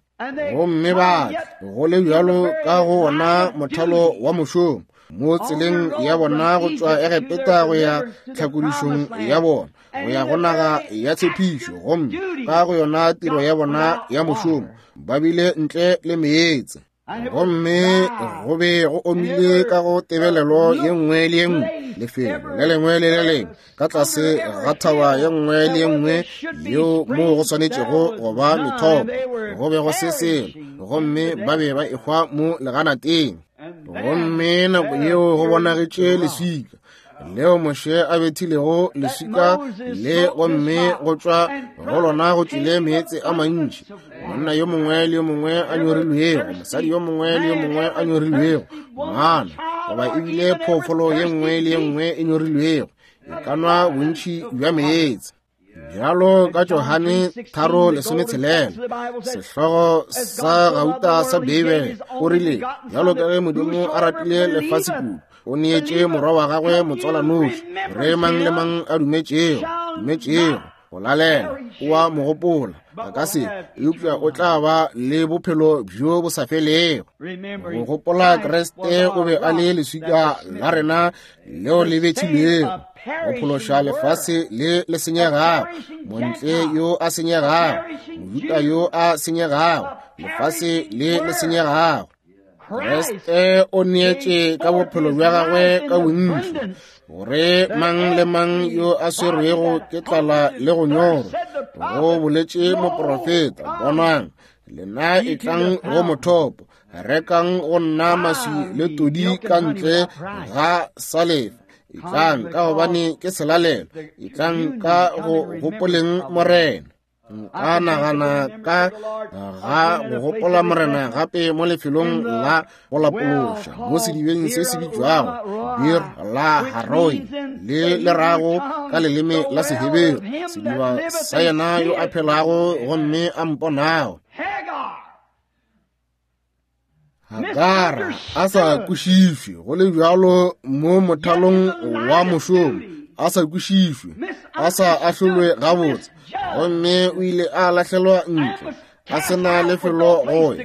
Gomme ba go le bjalo ka go ona mothalo wa mošomo mo tseleng ya bona go tšwa Egepeta go ya tlhakodišong ya bona, go ya go naga ya tshepišo, gomme ka go yona tiro ya bona ya mošomo ba bile ntle le meetse. Gomme go be go omile ka go tebelelo ye nngwe le ye nngwe, lefelo le lengwe le le lengwe, ka tlase ga thaba ye nngwe le ye nngwe yeo moo go swanetšego go ba methopo, go be go se selo, gomme ba be ba ehwa mo leganateng. Gomme nako yeo go bonagetše leswika leo Moshe a bethilego leswika le, gomme go tšwa go lona go tšwile meetse a mantši. Monna yo mongwe le yo mongwe a nyorilwego, mosadi yo mongwe le yo mongwe a nyorilwego, ngwana goba ebile phoofolo ye nngwe le ye nngwe e nyorilwego e ka nwa bontši bja meetse. Bjalo ka Johane tharo lesometshelela, sehlogo sa gauta sa Beibele, o rile, bjalo ka ge Modimo a ratile lefase kudu, o neetše morwa wa gagwe motswalanoši, gore mang le mang a dumetšego, dumetšego go lalela, o a mo gopola, a ka se, eupša o tla ba le bophelo bjo bo sa felego. Go gopola Kriste o be a le leswika la rena leo le bethilwego go phološa lefase le le senyegago, montle yo a senyegago, Mojuda yo a senyegago, lefase le le senyegago. Kriste o neetše ka bophelo bja gagwe ka bontši, gore mang le mang yo a swerwego ke tlala le go nyorwa, go boletše moprofeta, bonang, lena etlang go mothopo, rekang go nna maswi le todi ka ntle ga salefa, etlang ka gobane ke selalelo, etlang ka go gopoleng Morena. Nka nagana ka ga go gopola Morena gape mo lefelong la go lapološa mo sedibeng se se bitšwago Bir la Haroi, le le rago ka leleme la Seheberu sediba sa yena yo a phelago gomme a mponago. Hagara a sa kwešišwe go le bjalo mo mothalong wa mošomo, a sa kwešišwe, a sa ahlolwe gabotse, gomme o ile a lahlelwa ntle a sena lefelo go ya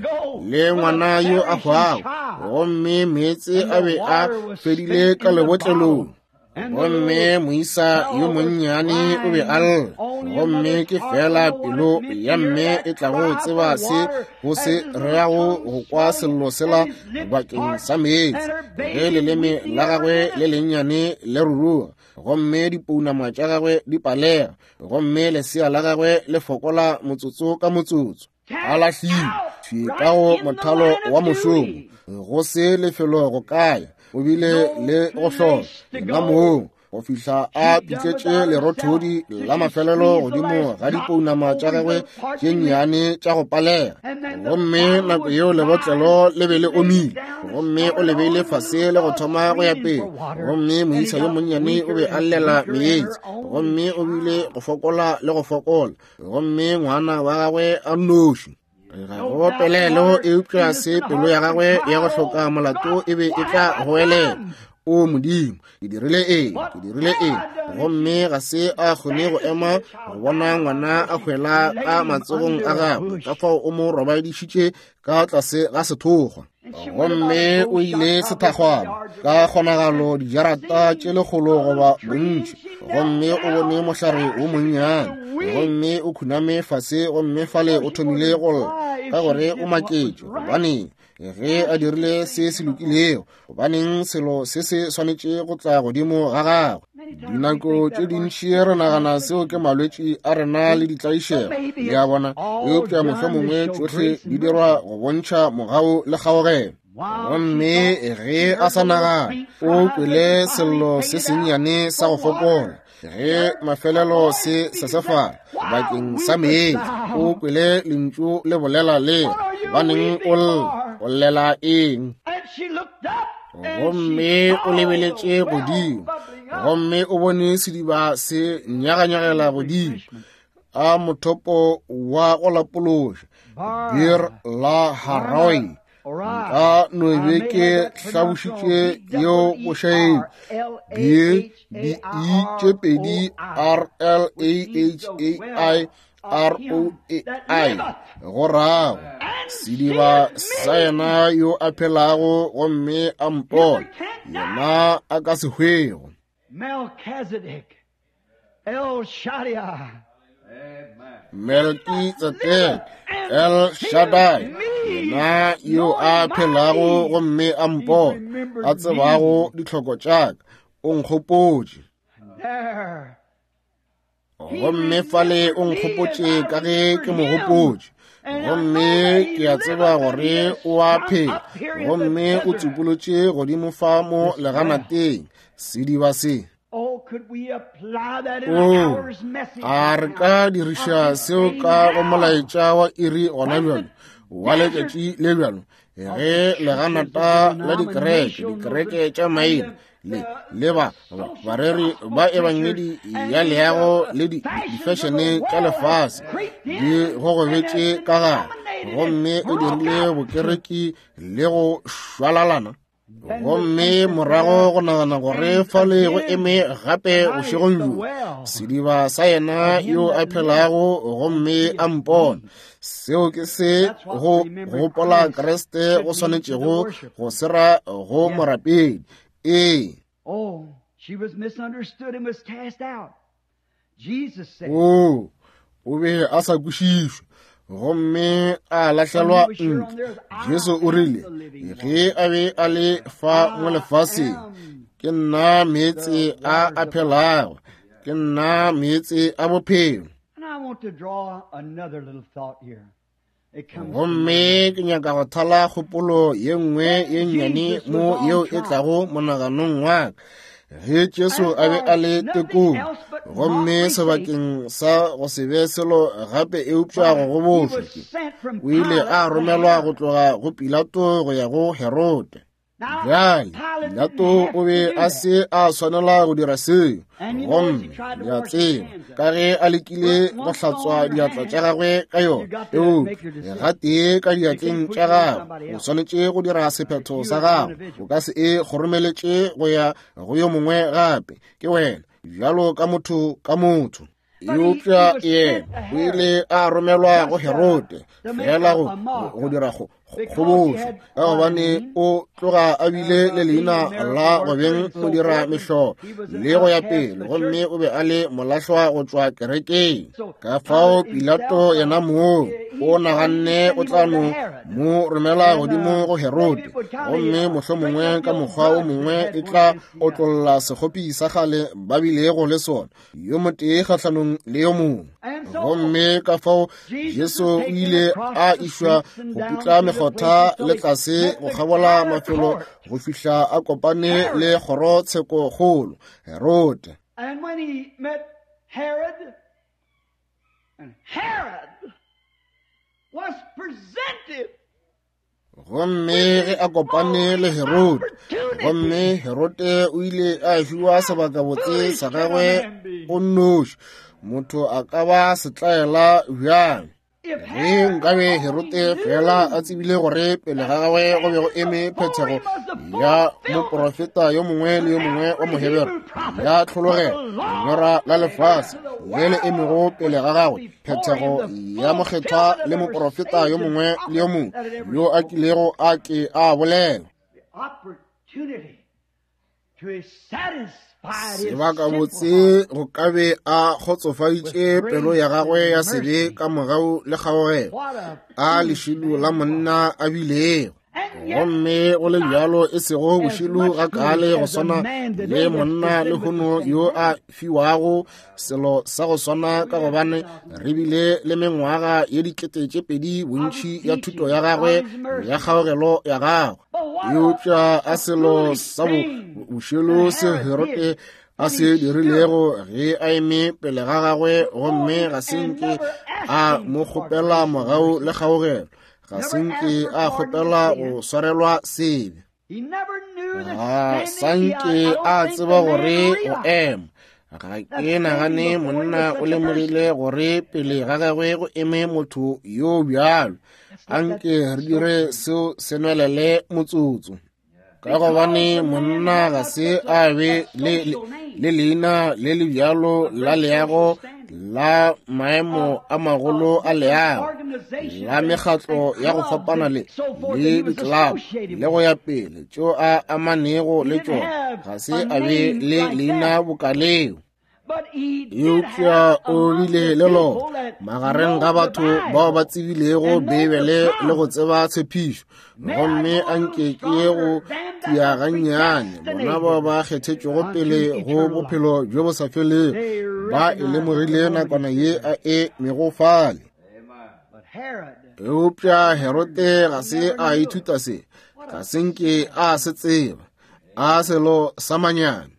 le ngwana yo a hwago, gomme meetse a be a fedile ka lebotlelong. Gomme moisa yo monnyane o be a lla, gomme ke fela pelo ya mme e tlago tseba se go se reago go kwa sello sela bakeng sa meetse, ge leleme la gagwe le lennyane le ruruga, gomme dipounama tša gagwe di palega, gomme lesea la gagwe le fokola motsotso ka motsotso. A lahlilwe thwi ka go mothalo wa mošomo, go se lefelo go kaya, o bile le go hlola yena mong go fihla a pitletše lerothodi la mafelelo godimo ga dipounama tša gagwe tše nnyane tša go palega. Gomme nako yeo lebotlelo le be le omile, gomme o le beile fase le go thoma go ya pele, gomme moisa yo monnyane o be a llela meetse, gomme o bile go fokola le go fokola, gomme ngwana wa gagwe a nnoši. Ga go pelelo, eupša se pelo ya gagwe ya go hloka molato e be e tla goelela, O Modimo, ke dirile eng, ke dirile eng? Gomme ga se a kgone go ema go bona ngwana a hwela ka matsogong a gagwe, ka fao o mo robadišitše ka tlase ga sethokgwa. Gomme o ile sethakgwana ka kgonagalo dijarata tše lekgolo goba bontši, gomme o bone mohlare wo monnyane, gomme o khuname fase, gomme fale o thomile go lla ka gore o maketše gobaneng ge a dirile se se lokilego, gobaneng selo se se swanetše go tla godimo ga gagwe. Dinako tše dintši re nagana seo ke malwetši a rena le ditlaišego, le a bona, eupša mohlomongwe tšohle di dirwa go bontšha mogau le kgaogelo. Gomme ge a sa nagana, o kwele sello se sennyane sa go fokola, ge mafelelo se sesefala bakeng sa meetse, o kwele lentšu le bolela le, gobaneng o lla, o llela eng? Gomme o lebeletše godimo, gomme o bone sediba se nyaganyagela godimo a mothopo wa go lapološa Bir la Haroi. Nka no be ke hlabošitše yeo bošaedi B D E tše pedi R L A H A I R O A I, go rago sediba sa yena yo a phelago gomme a mpona, yena a ka se hwego. Melchizedek, El Shaddai, Melchizedek, El Shaddai, yena yo a phelago gomme a mpona, a tsebago ditlhoko tša ka, o nkgopotše. Gomme fale o nkgopotše ka ge ke mo gopotše, gomme ke a tseba gore o a phela, gomme o tsupolotše godimo fa mo leganateng sediba se. Oh, O, a re ka diriša seo ka go molaetša wa iri gona bjalo, wa letšatši le bjalo, ge leganata la dikereke, dikereke tša maina le le ba bareri ba ebangedi ya leago le difešene tša lefase di gogobetše ka gare, gomme o dirile bokereki le go šwalalana. Gomme morago go nagana gore fale go eme gape bošegong bjo sediba sa yena yo a phelago gomme a mpona. Seo ke se go gopola Kriste go swanetšego go se ra go morapedi. Ee. Oh, she was misunderstood and was cast out. Jesus said, O, o be a sa kwešišwe gomme a lahlelwa ntle. Jesu o rile ge a be a le fa mo lefaseng, ke nna meetse a a phelago, ke nna meetse a bophelo. And I want to draw another little thought here. It comes to Gomme ke nyaka go thala kgopolo ye nngwe ye nnyane mo yeo e tlago monaganong wa ka. Ge Jesu a be a le tekong, gomme sebakeng sa go se be selo gape eupša go gobošwa, o ile a romelwa go tloga go Pilato go ya go Herode. Bjale, Pilato o be a se a swanela go dira seo, gomme le a tseba, ka ge a lekile go hlatswa diatla tša gagwe ka yona, eupša gatee ka diatleng tša gagwe, o swanetše go dira sephetho sa gago. O ka se e kgoromeletše go ya go yo mongwe gape, ke wena, bjalo ka motho ka motho. Eupša yena o ile a romelwa go Herode fela go go dira go kgobošo, ka gobane o tloga a bile le leina la go beng modira mehlolo le go ya pele, gomme o be a le molahlwa go tšwa kerekeng. Ka fao Pilato yena moo o naganne o tla no mo romela godimo go Herode, gomme mohlomongwe ka mokgwa o mongwe e tla otlolla sekgopi sa kgale ba bilego le sona, yo motee kgahlanong le yo mongwe. Gomme ka fao Jesu o ile a išwa go putla mekgotha le tlase go kgabola mafelo go fihla a kopane le kgorotshekokgolo Herode. And when he met Herod, and Herod was presented Gomme ge a kopane le Herode, gomme Herode o ile a fiwa sebakabotse sa gagwe o nnoši. Motho a ka ba setlaela bjang? Ge nkabe Herode fela a tsebile gore pele ga gagwe go be go eme phethego ya moprofeta yo mongwe le yo mongwe wa Mohebere ya tlhologelo, lenyora la lefase le le emego pele ga gagwe, phethego ya mokgethwa le moprofeta yo mongwe le yo mongwe yo a kilego a ke a bolela. Sebakabotse go ka be a kgotsofaditše pelo ya gagwe ya sebe ka mogau le kgaogelo a lešilo la monna a bilego. Gomme go le bjalo e sego bošilo ga kale go swana le monna lehono yo a fiwago selo sa go swana, ka gobane re bile le mengwaga ye dikete tše pedi bontši ya thuto ya gagwe ya kgaogelo ya gagwe. Eupša a selo sa bošilo se Herode a se dirilego ge a eme pele ga gagwe, gomme ga se nke a mo kgopela mogau le kgaogelo, ga se nke a kgopela go swarelwa sebe, ga sa nke a tseba gore o ema. Ga ke nagane monna o lemogile gore pele ga gagwe go eme motho yo bjalo. Anke re dire seo se nwelele motsotso, ka gobane monna ga se a be le le leina le le bjalo la leago la maemo a magolo a leago la mekgatlo ya go fapana le le ditlelapa le go ya pele tšeo a amanego le tšona, ga se a be le leina bokaleo. Eupša o bile le lona magareng ga batho bao ba tsebilego Beibele le go tseba tshepišo. Gomme anke ke ye go tia gannyane, bona bao ba kgethetšwego pele go bophelo bjo bo sa felego ba e lemogile nakwana ye a e mego fale. Eupša Herode ga se a ithuta se, ga se nke a se tseba, a selo sa manyami.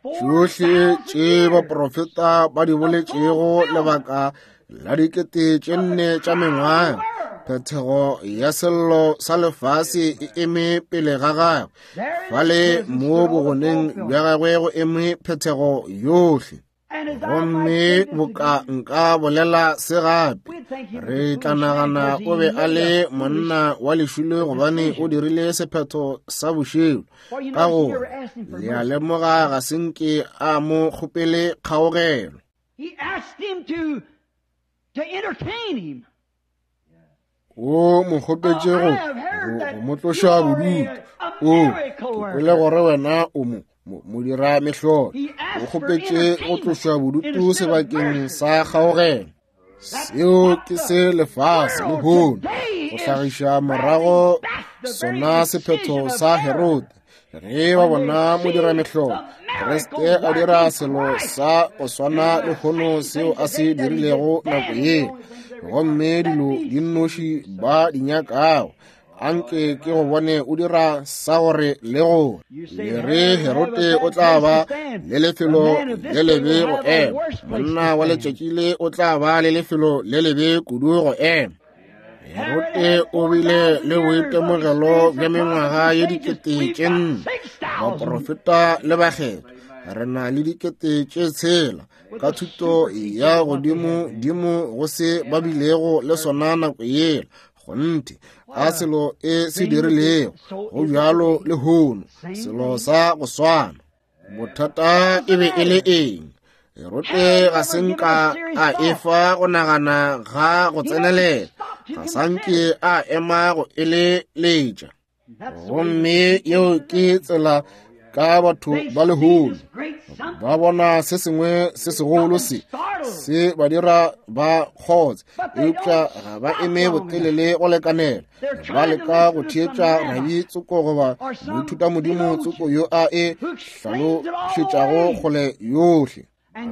Tšohle tše baprofeta ba di boletšego lebaka la dikete tše nne tša mengwaga, phethego ya sello sa lefase e eme pele ga gagwe. Fale mo bogoneng bja gagwe go eme phethego yohle. Gomme boka nka bolela se gape, re tla nagana o be a le monna wa lešilo gobane o dirile sephetho sa bošilo, ka gore le a lemoga ga se nke a mo kgopele kgaogelo. O mo kgopetše go go mo tloša bodutu. O ke kwele gore wena o mo modira mehlolo. O kgopetše go tlošwa bodutu sebakeng sa kgaogelo. Seo ke se lefase lehono go hlagiša morago sona sephetho sa Herode. Ge ba bona modira mehlolo Kriste a dira selo sa go swana lehono seo a se dirilego nako ye, gomme dilo di nnoši ba di nyakago Anke ke go bone o dira sa gore le gore. Le re Herode o tla ba le lefelo le lebe go ema. Monna wa letšatši le o tla ba le lefelo le lebe kudu go ema. Herode o bile le boitemogelo bja mengwaga ye dikete tše nne, baprofeta le bakgethwa. Re na le dikete tše tshela ka thuto ya godimo dimo go se ba bilego le sona nako yela. Kgonthe a selo e se dirilego go bjalo lehono, selo sa go swana. Bothata e be e le eng? Herode ga se nka a efa go nagana ga go tsenelela, ga sa nke a ema go eleletša. Gomme yeo ke tsela ka batho ba lehono. Ba bona se sengwe se segolo se se ba dira ba kgotse, eupša ga ba eme botelele go lekanela. Ba leka go theetša rabi tsoko goba moithutamodimo tsoko yo a e hlalošetšago kgole yohle.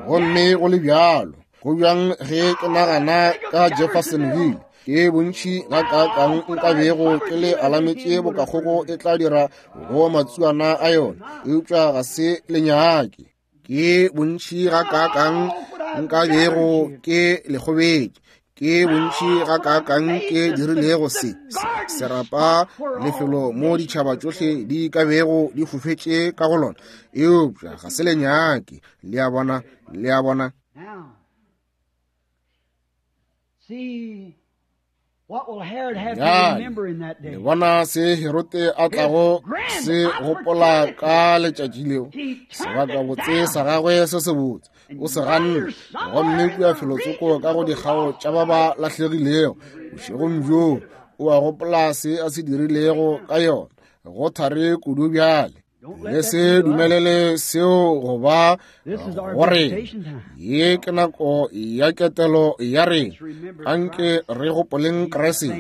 Gomme go le bjalo, go bjang ge ke nagana ka Jeffersonville, ke bontši gakaakang nka bego ke le alametše bokakgogo e tla dira go matsuana a yona, eupša ga se lenyake. Ke bontši gakaakang nka bego ke le kgobetše, ke bontši gakaakang ke dirilego se serapa lefelo mo ditšhaba tšohle di ka bego di fofetše ka go lona, eupša ga se lenyake. Le a bona, le a bona. Bjale le bona se Herode a tlago se gopola ka letšatši leo, sebakabotse sa gagwe se sebotse o se ganne, gomme kua felotsoko ka go dikgao tša ba ba lahlegilego bošegong bjoo o a gopola se a se dirilego ka yona. Go thare kudu bjale. Le se dumelele seo go ba gore ye ke nako ya ketelo ya rena. Anke re gopoleng Kriste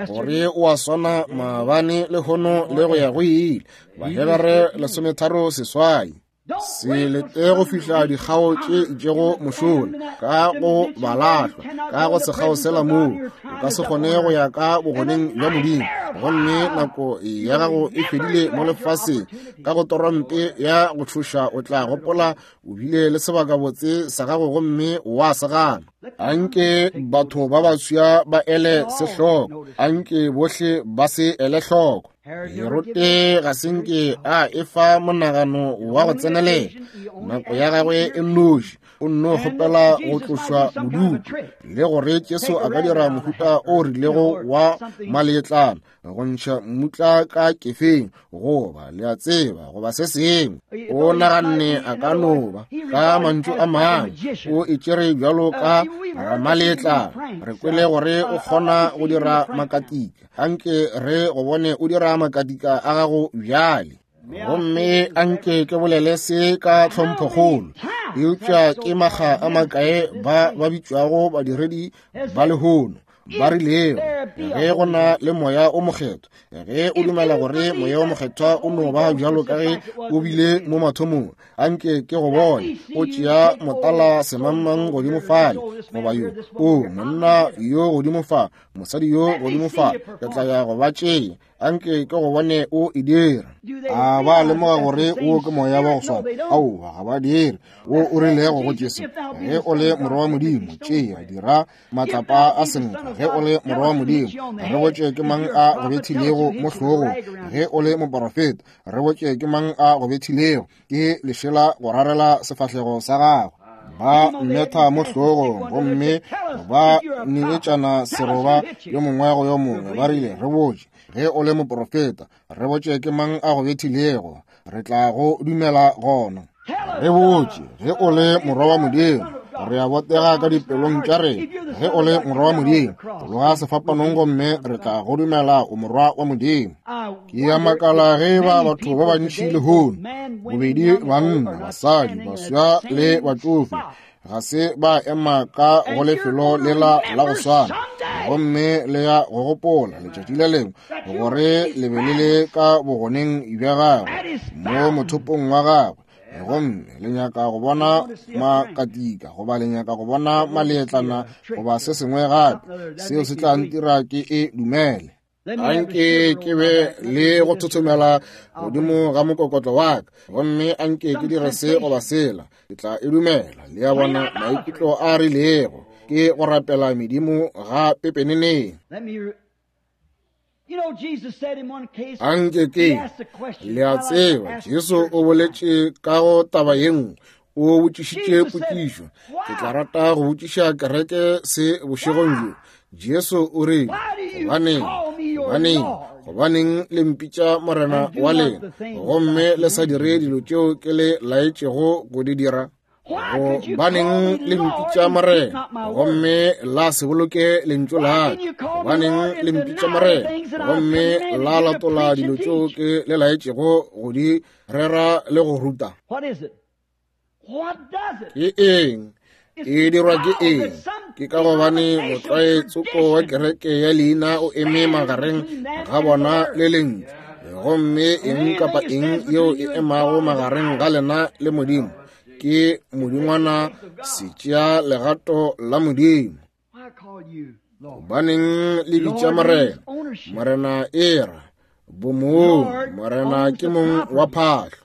gore o a swana maabane lehono le go ya go ile. Bahebere lesometharo seswai. Se lete go fihla dikgao tše itšego mošola ka go balahlwa ka go sekgao sela moo o ka se kgone go ya ka bogoneng bja Modimo, gomme nako ya gago e fedile mo lefaseng. Ka go torompe ya go tšhoša o tla gopola o bile le sebakabotse sa gago gomme wa se gana. Anke batho ba baswa ba ele se hloko, anke bohle ba se ele hloko. Herode ga se nke a efa monagano wa go tsenelela, nako ya gagwe e nnoši o nno kgopela go tlošwa bodutu, le gore Jesu a ka dira mohuta o rilego wa maletlana go ntšha mmutla ka kefeng, goba le a tseba, goba se sengwe. O naganne a ka no ba ka mantšu a mangwe o e tšere bjalo ka ramaletlana. Re kwele gore o kgona go dira makatika, anke re go bone o dira makatika a gago bjale. Gomme anke ke bolele se ka tlhomphokgolo, eupša ke makga a makae ba ba bitšwago badiredi ba lehono ba rilego ge go na le moya o mokgethwa, ge o dumela gore moya o mokgethwa o no ba bjalo ka ge o bile mo mathomong, anke ke go bone o tšea motala semangmang godimo fale, goba yo o monna yo godimo fa, mosadi yo godimo fa, ke tla ya go ba tšea. Anke ke go bone o e dira. A ba lemoga gore o ke moya wa go swana? Aowa, ga ba dire. Wo o rilego go Jesu, ge o le morwa wa Modimo, tšea dira matlapa a senkgwa. Ge o le morwa wa Modimo, re botše ke mang a go bethilego mo hlogong. Ge o le moporofeta, re botše ke mang a go bethilego ke lešela go rarela sefahlego sa gagwe. Ba mmetha mo hlogong gomme ba neetšana seroba yo mongwe go yo mongwe. Ba rile, re botše ge o le moporofeta, re botše ke mang a go bethilego, re tla go dumela gona. Re botše ge o le morwa wa Modimo, re a botega ka dipelong tša rena. Ge o le morwa wa Modimo, tloga sefapanong gomme re tla go dumela o morwa wa Modimo. Ke a makala ge ba batho ba bantši lehono, bobedi banna, basadi, baswa le batšofe, ga se ba ema ka go lefelo lela la go swana, gomme le ya go gopola letšatši le lengwe gore le be le le ka bogoneng bja gagwe mo mothopong wa gagwe, gomme le nyaka go bona makatika goba le nyaka go bona maletlana goba se sengwe gape, seo se tla ntira ke e dumele. Anke ke be le go thothomela godimo ga mokokotlo wa ka, gomme anke ke dire se goba sela, ke tla e dumela. Le a bona, maikutlo a rilego ke go rapela medimo ga pepeneneng. Anke ke, le a tseba, Jesu o boletše ka go taba ye nngwe, o botšišitše potšišo. Ke tla rata go botšiša kereke se bošegong bjo. Jesu o rile, gobaneng, gobaneng, gobaneng le mpitša Morena wa lena, gomme le sa dire dilo tšeo ke le laetšego go di dira? Gobaneng le mpitša Morena, gomme la se boloke lentšu la ka? Gobaneng le mpitša Morena, gomme la latola dilo tšeo ke le laetšego go di rera le go ruta? Ke eng? E dirwa ke eng? Ke ka gobane motlwae tsoko wa kereke ya leina o eme magareng ga bona le lentšu, gomme eng kapa eng yeo e emago magareng ga lena le Modimo ke modingwana se tšea legato la Modimo. Gobaneng le bitša Morena? Morena e ra bomong, Morena ke mong wa phahlo.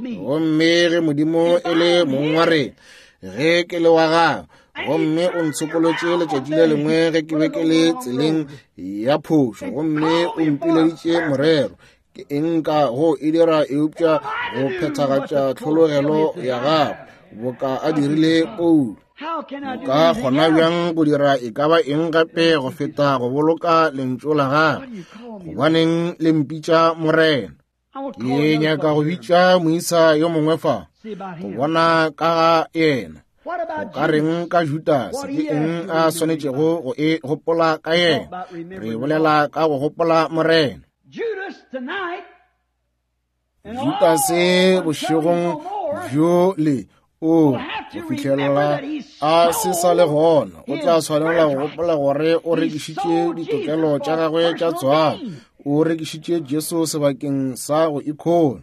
Gomme ge Modimo e le mong wa rena, ge ke le wa gagwe, gomme o ntshokolotše letšatši le lengwe ge ke be ke le tseleng ya phošo, gomme o mpileditše morero, ke eng ka go e dira eupša go phethagatša tlhologelo ya gagwe boka a dirile Paulo? Ka kgona bjang go dira e ka ba eng gape go feta go boloka lentšu la gagwe? Gobaneng le mpitša Morena? Ke nyaka go bitša moisa yo mongwe fa go bona ka ga yena. Go ka reng ka Judase? Ke eng a swanetšego go e gopola ka yena? Re bolela ka go gopola Morena. Judase bošegong bjo le o go fihlela a se sa le gona, o tla swanela go gopola gore o rekišitše ditokelo tša gagwe tša tswalo, o rekišitše Jesu sebakeng sa go ikhola.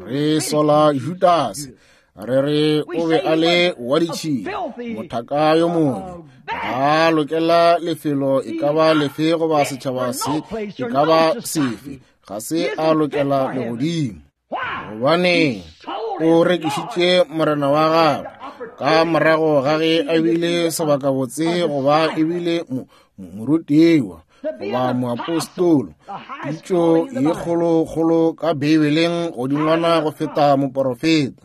Re sola Judase, re re o be a le wa ditšhila, mothaka yo mongwe, ga a lokela lefelo e ka ba lefe goba setšhaba se e ka ba sefe, ga se a lokela legodimo. Gobane o rekišitše Morena wa gagwe ka morago ga ge a bile sebakabotse goba ebile morutiwa goba moapostolo, pitšo ye kgolokgolo ka Beibeleng godingwana go feta moporofeta.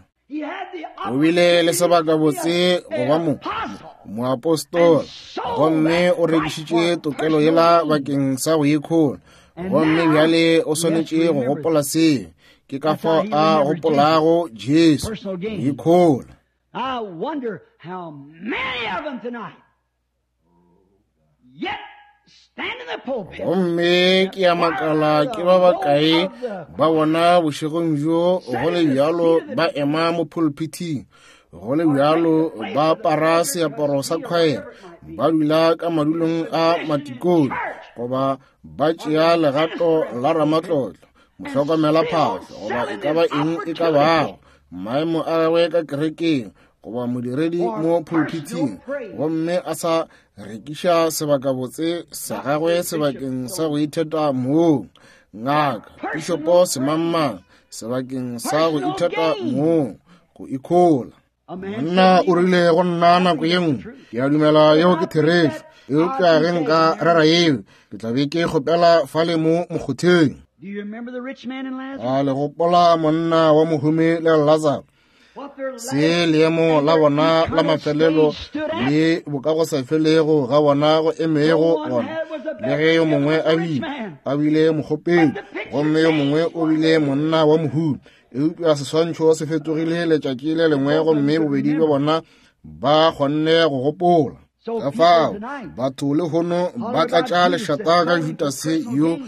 O bile le sebakabotse goba mo moapostola, gomme o rekišitše tokelo yela bakeng sa go ikhola, gomme bjale o swanetše go gopola seo. Ke ka fao a gopolago Jesu, go ikhola. I wonder how many of them tonight yet stand in the pulpit. Gomme ke a makala ke ba bakae ba bona bošegong bjo go le bjalo ba ema mo pulpiting, go le bjalo ba apara seaparo sa khwaere, ba dula ka madulong a matikone, goba ba tšea legato la ramatlotlo, mohlokomela phahlo, goba e ka ba eng e ka bago maemo a gagwe ka kerekeng, goba modiredi mo pulpiting, gomme a sa rekiša sebakabotse sa gagwe sebakeng sa go itheta mong, ngaka, pišopo semangmang, sebakeng sa go itheta mong, go ikhola. Monna o rile go nna nako ye nngwe, ke a dumela yeo ke therešo, eupša ge nka rera yeo, ke tla be ke kgopela fale mo mokgotheng. Do you remember the rich man and Lazarus? A le gopola monna wa mohumi le Lazaro? What their Se leemo la bona la mafelelo le bokagosafelego ga bona go emego gona, le ge yo mongwe a bile a bile mokgopedi, gomme yo mongwe o bile monna wa mohumi, eupša seswantšho se fetogile letšatši le lengwe, gomme bobedi bja bona ba kgonne go gopola. Ka fao batho lehono ba tlatša lešata ka Judase yo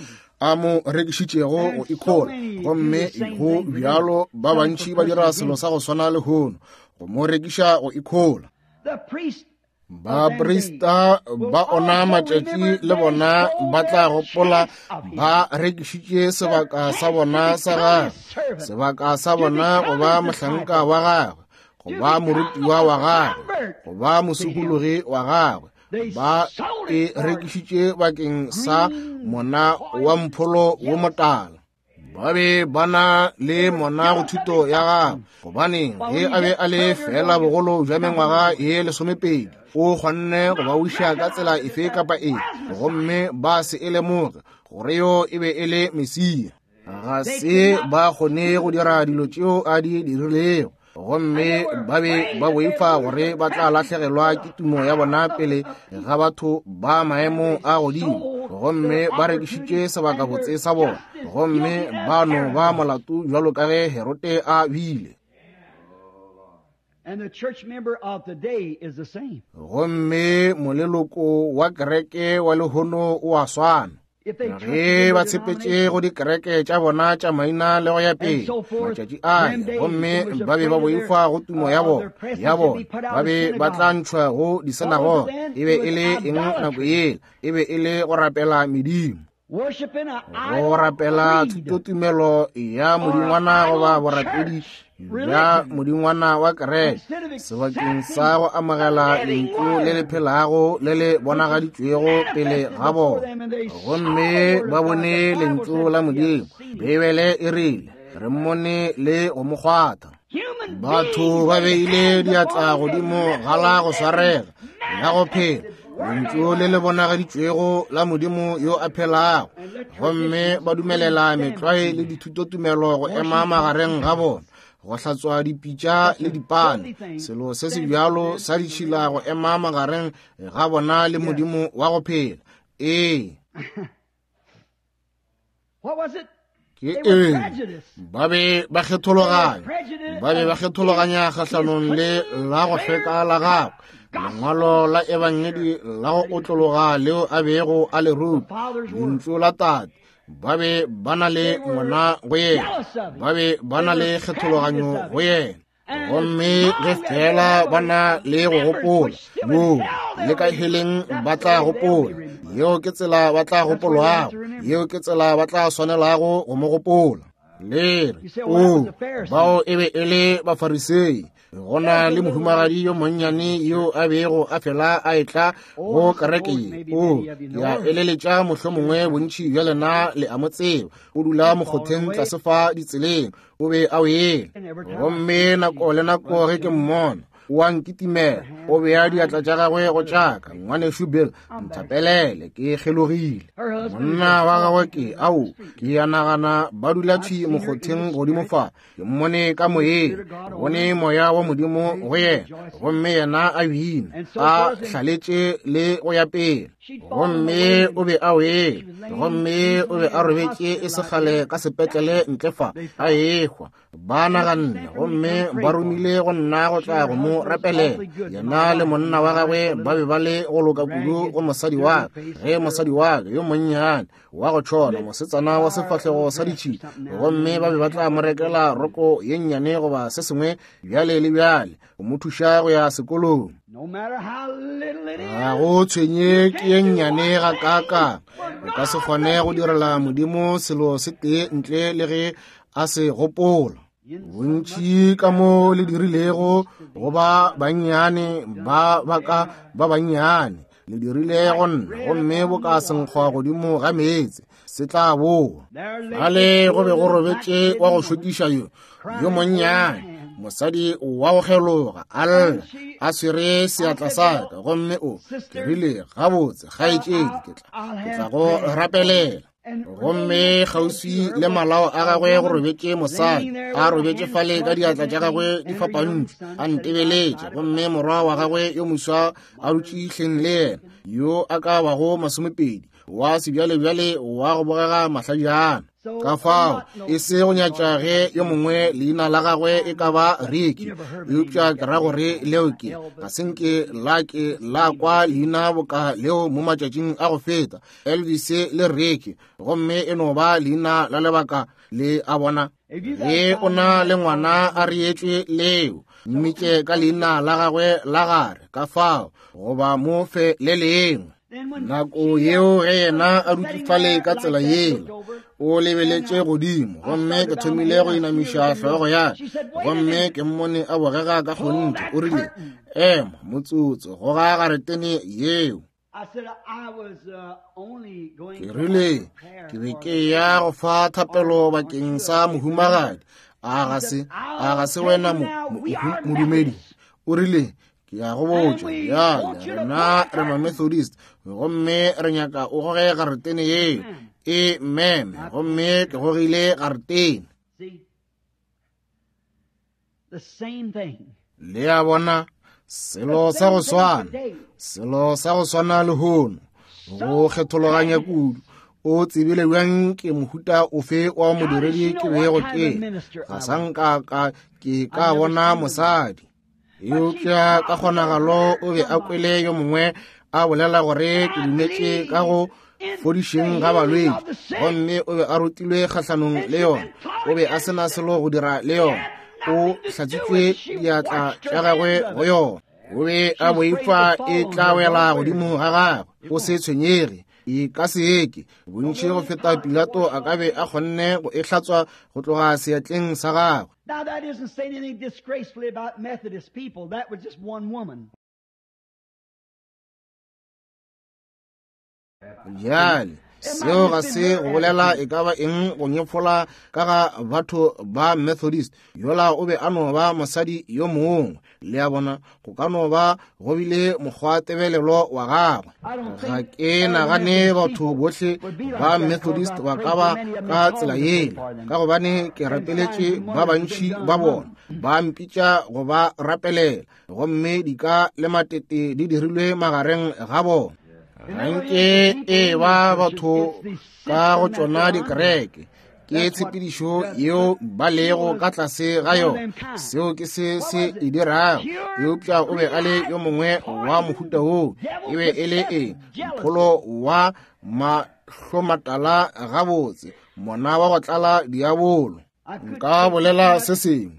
a mo rekišitšego go ikhola, gomme go bjalo ba bantši ba dira selo sa go swana lehono, go mo rekiša go ikhola. The priest Baprista ba ona matšatši le bona ba tla gopola ba rekišitše sebaka sa bona sa gagwe, sebaka sa bona go ba mohlanka wa gagwe, go ba morutiwa wa gagwe, go ba mosokologi wa gagwe, Ba e rekišitše bakeng sa mona wa mpholo wo motala. Ba be ba na le mona go thuto ya gagwe, gobane ge a be a le fela bogolo bja mengwaga ye lesomepedi, o kgonne go ba wiša ka tsela efe kapa efe, gomme ba se e lemoge gore yo e be e le Mesia. Ga se ba kgone go dira dilo tšeo a di dirilego, gomme ba be ba boifa gore ba tla lahlegelwa ke tumo ya bona pele ga batho ba maemo a godimo, gomme ba rekišitše sebakabotse sa bona, gomme ba no ba molato bjalo ka ge Herode a bile. And the church member of today is the same. Gomme moleloko wa kereke wa lehono o a swana. Ge ba tshepetše go dikereke tša bona tša maina le go ya pele matšatši a, gomme ba be ba boifa go tumo ya bona ya bona, ba be ba tla ntšhwa go disinagoge. E be e le eng nako yela? E be e le go rapela medimo, go rapela thutotumelo ya modingwana goba borapedi bja modingwana wa kereke, sebakeng sa go amogela lentšu le le phelago le le bonagaditšwego pele ga bona. Gomme ba bone lentšu la Modimo. Beibele e rile re mmone le go mo kgwatha. Batho ba beile diatla godimo ga la go swarega la go phela, lentšu le le bonagaditšwego la Modimo yo a phelago, gomme ba dumelela metlwae le dithutotumelo go ema magareng ga bona, go hlatswa dipitša le dipane, selo se se bjalo sa ditšhila go ema magareng ga bona le Modimo wa go phela. Ee, ke eng? Ba be ba kgethologanya, ba be ba kgethologanya kgahlanong le la go hlweka la gagwe, lengwalo la ebangedi la go otlologa leo a bego a le ruta, lentšu la Tate. Ba be ba na le ngwana go yena, ba be ba na le kgethologanyo go yena. Gomme ge fela ba na le go gopola moo le ka heleng ba tla gopola. Yeo ke tsela ba tla gopolwago, yeo ke tsela ba tla swanelago go mo gopola. Le re, o, bao e be e le Bafarisei. Go na le mohumagadi yo monnyane yo a bego a fela a etla go kereke ye. O, ke a eleletša mohlomongwe bontši bja lena le a mo tseba. O dula mokgotheng tlase fa ditseleng, o be a o ela. Gomme nako le nako ge ke mmona, o a nkitimela, o bea diatla tša gagwe go tšaka. Ngwanešu Bill, nthapelele, ke kgelogile. Monna wa gagwe ke, ao, ke a nagana ba dula thwi mokgotheng godimo fa. Ke mmone ka moyeng, ke bone moya wa Modimo go yena, gomme yena a bina, a hlaletše le go ya pele. Gomme o be a wele, gomme o be a robetše e sekgale ka sepetlele ntle fa, a ehwa. Ba naganne, gomme ba romile go nna go tla go mo rapelela. Yena le monna wa gagwe ba be ba le go loka kudu go mosadi wa ka, ge mosadi wa ka yo monnyane wa go tšhona, mosetsana wa sefahlego sa ditšhila, gomme ba be ba tla mo rekela roko ye nnyane goba se sengwe bjale le bjale go mo thuša go ya sekolong. Ga go tshwenye ke ye nnyane ga kaakang, o ka se kgone go direla Modimo selo se tee ntle le ge a se gopola. Bontši ka mo le dirilego go ba bannyane ba baka ba bannyane, le dirile go nna, gomme bo ka senkgwa godimo ga meetse se tla boa. Fale go be go robetše wa go šokiša yo yo monnyane, mosadi wa go kgeloga, a lla a swere seatla sa ka, gomme o ke rile, gabotse kgaetšedi, ke tla ke tla go rapelela. Gomme kgauswi le malao a gagwe go robetše mosadi, a robetše fale ka diatla tša gagwe di fapantšwe, a ntebeletše, gomme morwa wa gagwe yo moswa a dutše hleng le yena, yo a ka bago masomepedi, wa sebjalebjale wa go bogega mahlajana. Ka fao e se go nyatša ge yo mongwe leina la gagwe e ka ba Ricky, eupša ke ra gore leo ke ga se nke la ke la kwa leina boka leo mo matšatšing a go feta, Elvis le Ricky, gomme e no ba leina la lebaka le a bona. Ge o na le ngwana a reetšwe leo, mmitše ka leina la gagwe la gare, ka fao goba mo fe le lengwe. Nako yeo ge yena a dutše fale ka tsela yela, o lebeletše godimo, gomme ke thomile go inamiša hlogo ya ka, gomme ke mmone a bogega ka kgonthe. O rile, ema motsotso, goga garetene yeo. Ke rile, ke be ke ya go fa thapelo bakeng sa mohumagadi. A ga se, a ga se wena modumedi? O rile, ke ya go botša bjale, rena re ma-Methodist, gomme re nyaka o goge garetene yeo. E meme, gomme ke gogile garetene. Le a bona, selo sa go swana, selo sa go swana lehono, go kgethologanya kudu. O tsebile bjang ke mohuta ofe wa modiredi ke bego ke? Ga sa nka ka ke ka bona mosadi. Eupša ka kgonagalo o be a kwele yo mongwe a bolela gore ke dumetše ka go fodišeng ga balwetši, gomme o be a rutilwe kgahlanong le yona. O be a sena selo go dira le yona. O hlatswitšwe diatla tša gagwe go yona. O be a boifa e tla wela godimo ga gagwe. O se tshwenyege, e ka se eke. Bontši go feta Pilato a ka be a kgonne go e hlatswa go tloga seatleng sa gagwe. Now that isn't saying anything disgracefully about Methodist people. That was just one woman. Bjale, seo ga se go bolela e ka ba eng go nyefola ka ga batho ba Methodist. Yola o be a no ba mosadi yo mongwe. Le a bona, go ka no ba go bile mokgwatebelelo wa gagwe. Ga ke nagane batho bohle ba Methodist ba ka ba ka tsela yela, ka gobane ke rapeletše ba bantši ba bona, ba mpitša go ba rapelela, gomme dika le matete di dirilwe magareng ga bona. Ga nke e ba batho ka go tšona dikereke, ke tshepedišo yeo ba lego ka tlase ga yona. Seo ke se se e dirago. Eupša o be a le yo mongwe wa mohuta woo. E be e le eng? Mpholo wa mahlomatala gabotse, mona wa go tlala diabolo. Nka bolela se sengwe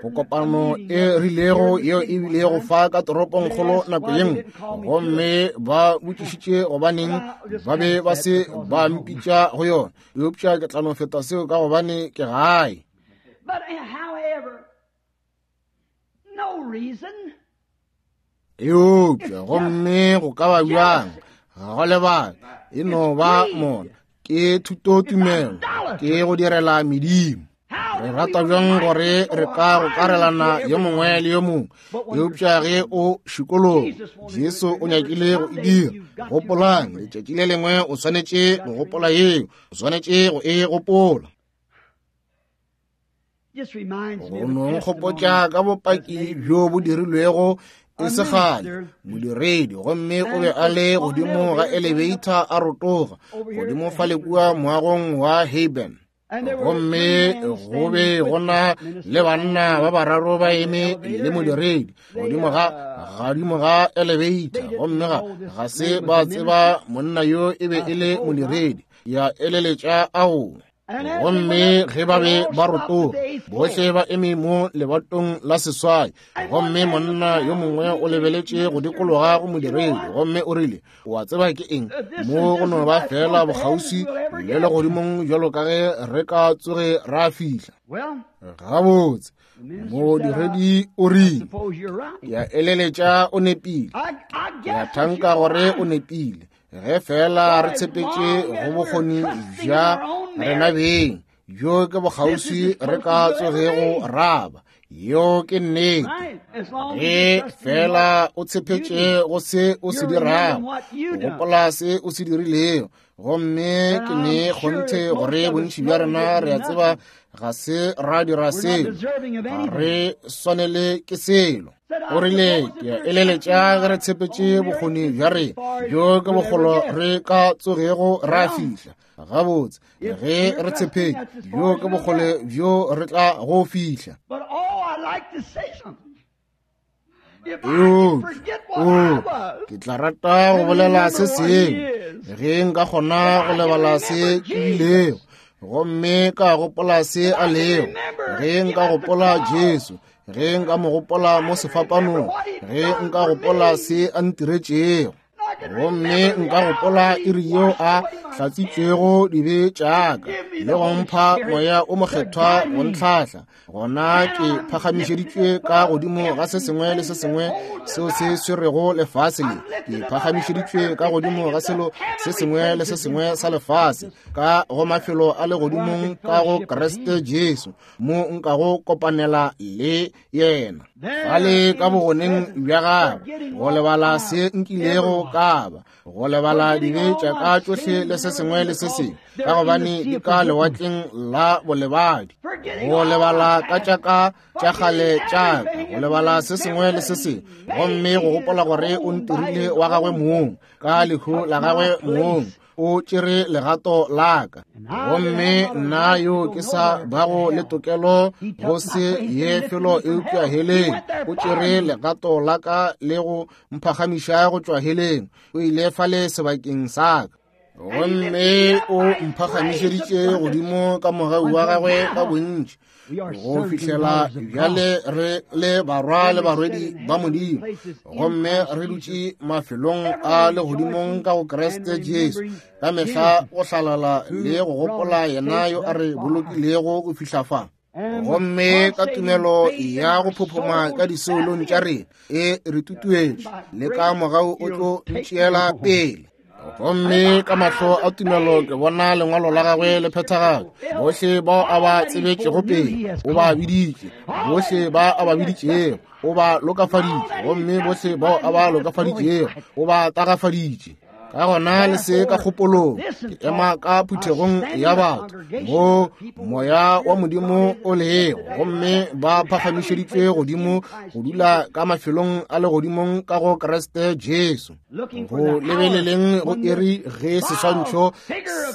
go kopano e rilego yeo e bilego fa ka toropongkgolo nako ye nngwe, gomme ba botšišitše gobaneng ba be ba se ba mpitša go yona. Eupša ke tla no feta seo ka gobane ke gae. Eupša gomme go ka ba bjang? Ga go lebaka, e no ba mona. Ke thutotumelo, ke go direla medimo. Re rata bjang gore re ka gokarelana yo mongwe le yo mongwe, eupša ge o šikologa, Jesu o nyakile go e dira. Gopolang, letšatši le lengwe o swanetše go gopola yeo, o swanetše go e gopola. Go no nkgopotša ka bopaki bjo bo dirilwego e se kgale, modiredi, gomme o be a le godimo ga elevator a rotoga godimo fale kua moagong wa Haben. Gomme go be gona le banna ba bararo ba eme le modiredi godimo ga godimo ga elevator, gomme ga ga se ba tseba monna yo e be e le modiredi. Ya eleletša ao. Gomme ge ba be ba rotoga, bohle ba eme mo lebatong la seswai, gomme monna yo mongwe o lebeletše go dikologa go modiredi, gomme o rile, o a tseba ke eng? Mo go no ba fela bokgauswi le legodimong bjalo ka ge re ka tsoge ra fihla. Gabotse, modiredi o rile, ke a eleletša o nepile. Ke a thanka gore o nepile. Ge fela re tshepetše go bokgoni bja rena beng, bjo ke bokgauswi re ka tsogego ra ba. Yeo ke nnete. Ge fela o tshepetše go se o se dirago, gopola se o se dirilego. Gomme ke ne kgonthe gore bontši bja rena re a tseba ga se ra dira selo, ga re swanele ke selo. O rile, ke a eleletša ge re tshepetše bokgoni bja rena, bjo ke bokgolo re ka tsogego ra fihla. Gabotse, ge re tshepetše, bjo ke bokgole bjo re tla go fihla. Eupša, o, ke tla rata go bolela se sengwe, ge nka kgona go lebala se ke bilego, gomme ka gopola se a lego, ge nka gopola Jesu, ge nka mo gopola mo sefapanong, ge nka gopola se a ntiretšego, Gomme nka gopola iri yeo a hlatsitšwego dibe tša ka le go mpha moya o mokgethwa go ntlhahla. Gona ke phagamišeditšwe ka godimo ga se sengwe le se sengwe seo se swerego lefase le. Ke phagamišeditšwe ka godimo ga selo se sengwe le se sengwe sa lefase, ka go mafelo a legodimong ka go Kriste Jesu, mo nkago kopanela le yena. Fale ka bogoneng bja gagwe, go lebala se nkilego ka ba, go lebala dibe tša ka tšohle le se sengwe le se sengwe, ka gobane di ka lewatleng la bolebadi. Go lebala ka tša ka tša kgale tša ka, go lebala se sengwe le se sengwe, gomme go gopola gore o ntirile wa gagwe mong, ka lehu la gagwe mong o tšere legato la ka. Gomme nna yo ke sa bago le tokelo go se ye felo eupša heleng, o tšere legato la ka le go mphagamiša go tšwa heleng. O ile fale sebakeng sa ka, gomme o mphagamišeditše godimo ka mogau wa gagwe ka bontši, go fihlela bjale re le barwa le barwedi ba Modimo, gomme re dutše mafelong a legodimong ka go Kriste Jesu, ka mehla go hlalala le go gopola yena yo a re bolokilego go fihla fa. Gomme ka tumelo ya go phophoma ka disoulong tša rena e re tutuetše, le ka mogau o tlo ntšeela pele. Gomme ka mahlo a tumelo ke bona lengwalo la gagwe le phethagala. Bohle bao a ba tsebetšego pele o ba biditše, bohle ba a ba biditšego o ba lokafaditše, gomme bohle bao a ba lokafaditšego o ba tagafaditše. Ka gona le se ka kgopolong, ke ema ka phuthegong ya batho mo moya wa Modimo o lego, gomme ba phagamišeditšwe godimo go dula ka mafelong a legodimong ka go Kriste Jesu. Go lebeleleng go iri ge seswantšho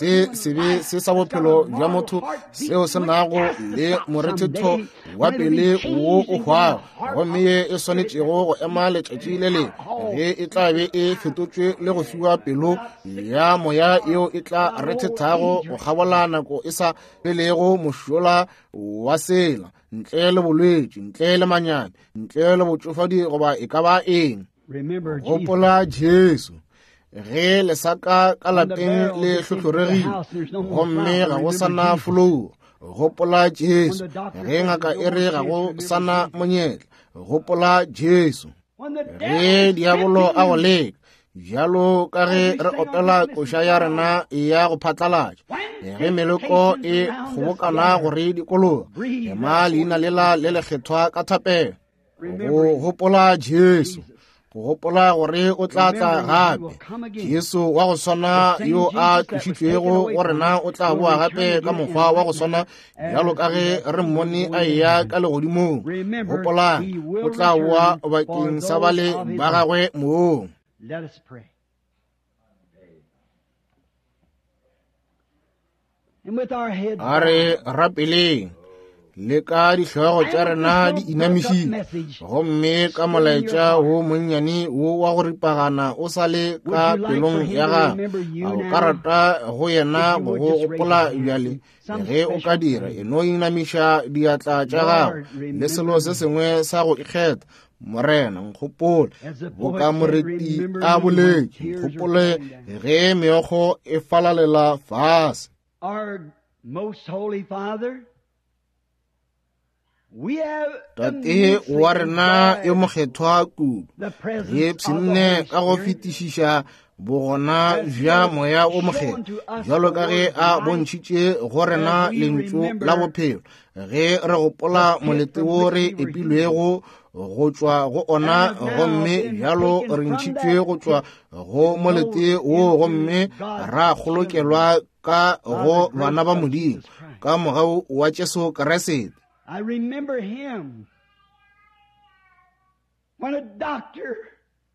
se sebe se sa bophelo bja motho seo se nago le morethetho wa pele wo o hwago, gomme ye e swanetšego go ema letšatši le lengwe ge e tla be e fetotšwe le go fiwa pelo ya moya yeo e tla rethethago go kgabola nako e sa felego mošola wa sela, ntle le bolwetši, ntle le manyami, ntle le botšofadi goba e ka ba eng. Gopola Jesu ge lesaka ka lapeng le hlohloregile gomme ga go sana folowo. Gopola Jesu ge ngaka e re ga go sana monyetla. Gopola Jesu ge diabolo a go leka, bjalo ka ge re opela koša ya rena ya go phatlalatša, ge meloko e kgobokana gore dikologa, ema leina lela le lekgethwa ka thapelo. Go gopola Jesu, go gopola gore o tla tla gape. Jesu wa go swana yo a tlošitšwego go rena o tla boa gape ka mokgwa wa go swana bjalo ka ge re mmone a eya ka legodimong. Gopolang, o tla boa bakeng sa bale ba gagwe mong. Let us pray. And with our heads a re rapeleng le ka dihlogo tša rena di inamišitše, gomme ka molaetša wo monnyane wo wa go ripagana o sa le ka pelong ya gago, a o ka rata go yena go go gopola bjale? Ge o ka dira, e no inamiša diatla tša gago le selo se sengwe sa go ikgetha. Morena, nkgopole boka moreti a boletše, nkgopole ge meokgo e falalela fase. Our most holy Father, we have Tate wa rena yo mokgethwa kudu, the re presence of the pshinne Holy ka go Spirit fetišiša bogona bja moya o mokgethwa, bjalo ka ge a bontšhitše go rena lentšu la bophelo, ge re gopola molete wo re epilwego go tšwa go ona, gomme bjalo re ntšhitšwe go tšwa go molete wo, gomme ra kgolokelwa ka go bana ba Modimo ka mogau wa Jesu Kriste. I remember him when a doctor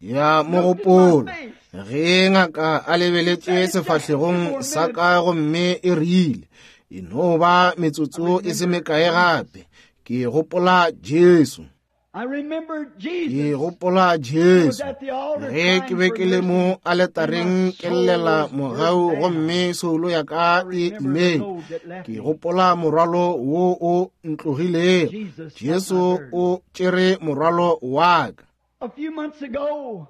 Ya mogopolo ge ngaka a lebeletše sefahlegong sa ka gomme e rile, e no ba metsotso e se mekae gape. Ke gopola Jesu. I remember Ke Jesus gopola Jesu was at the altar ge ke be ke le mo aletareng ke llela mogau, gomme soulo ya ka e imeng. Ke gopola morwalo wo o ntlogilego. Jesu o tšere morwalo wa ka. A few months ago,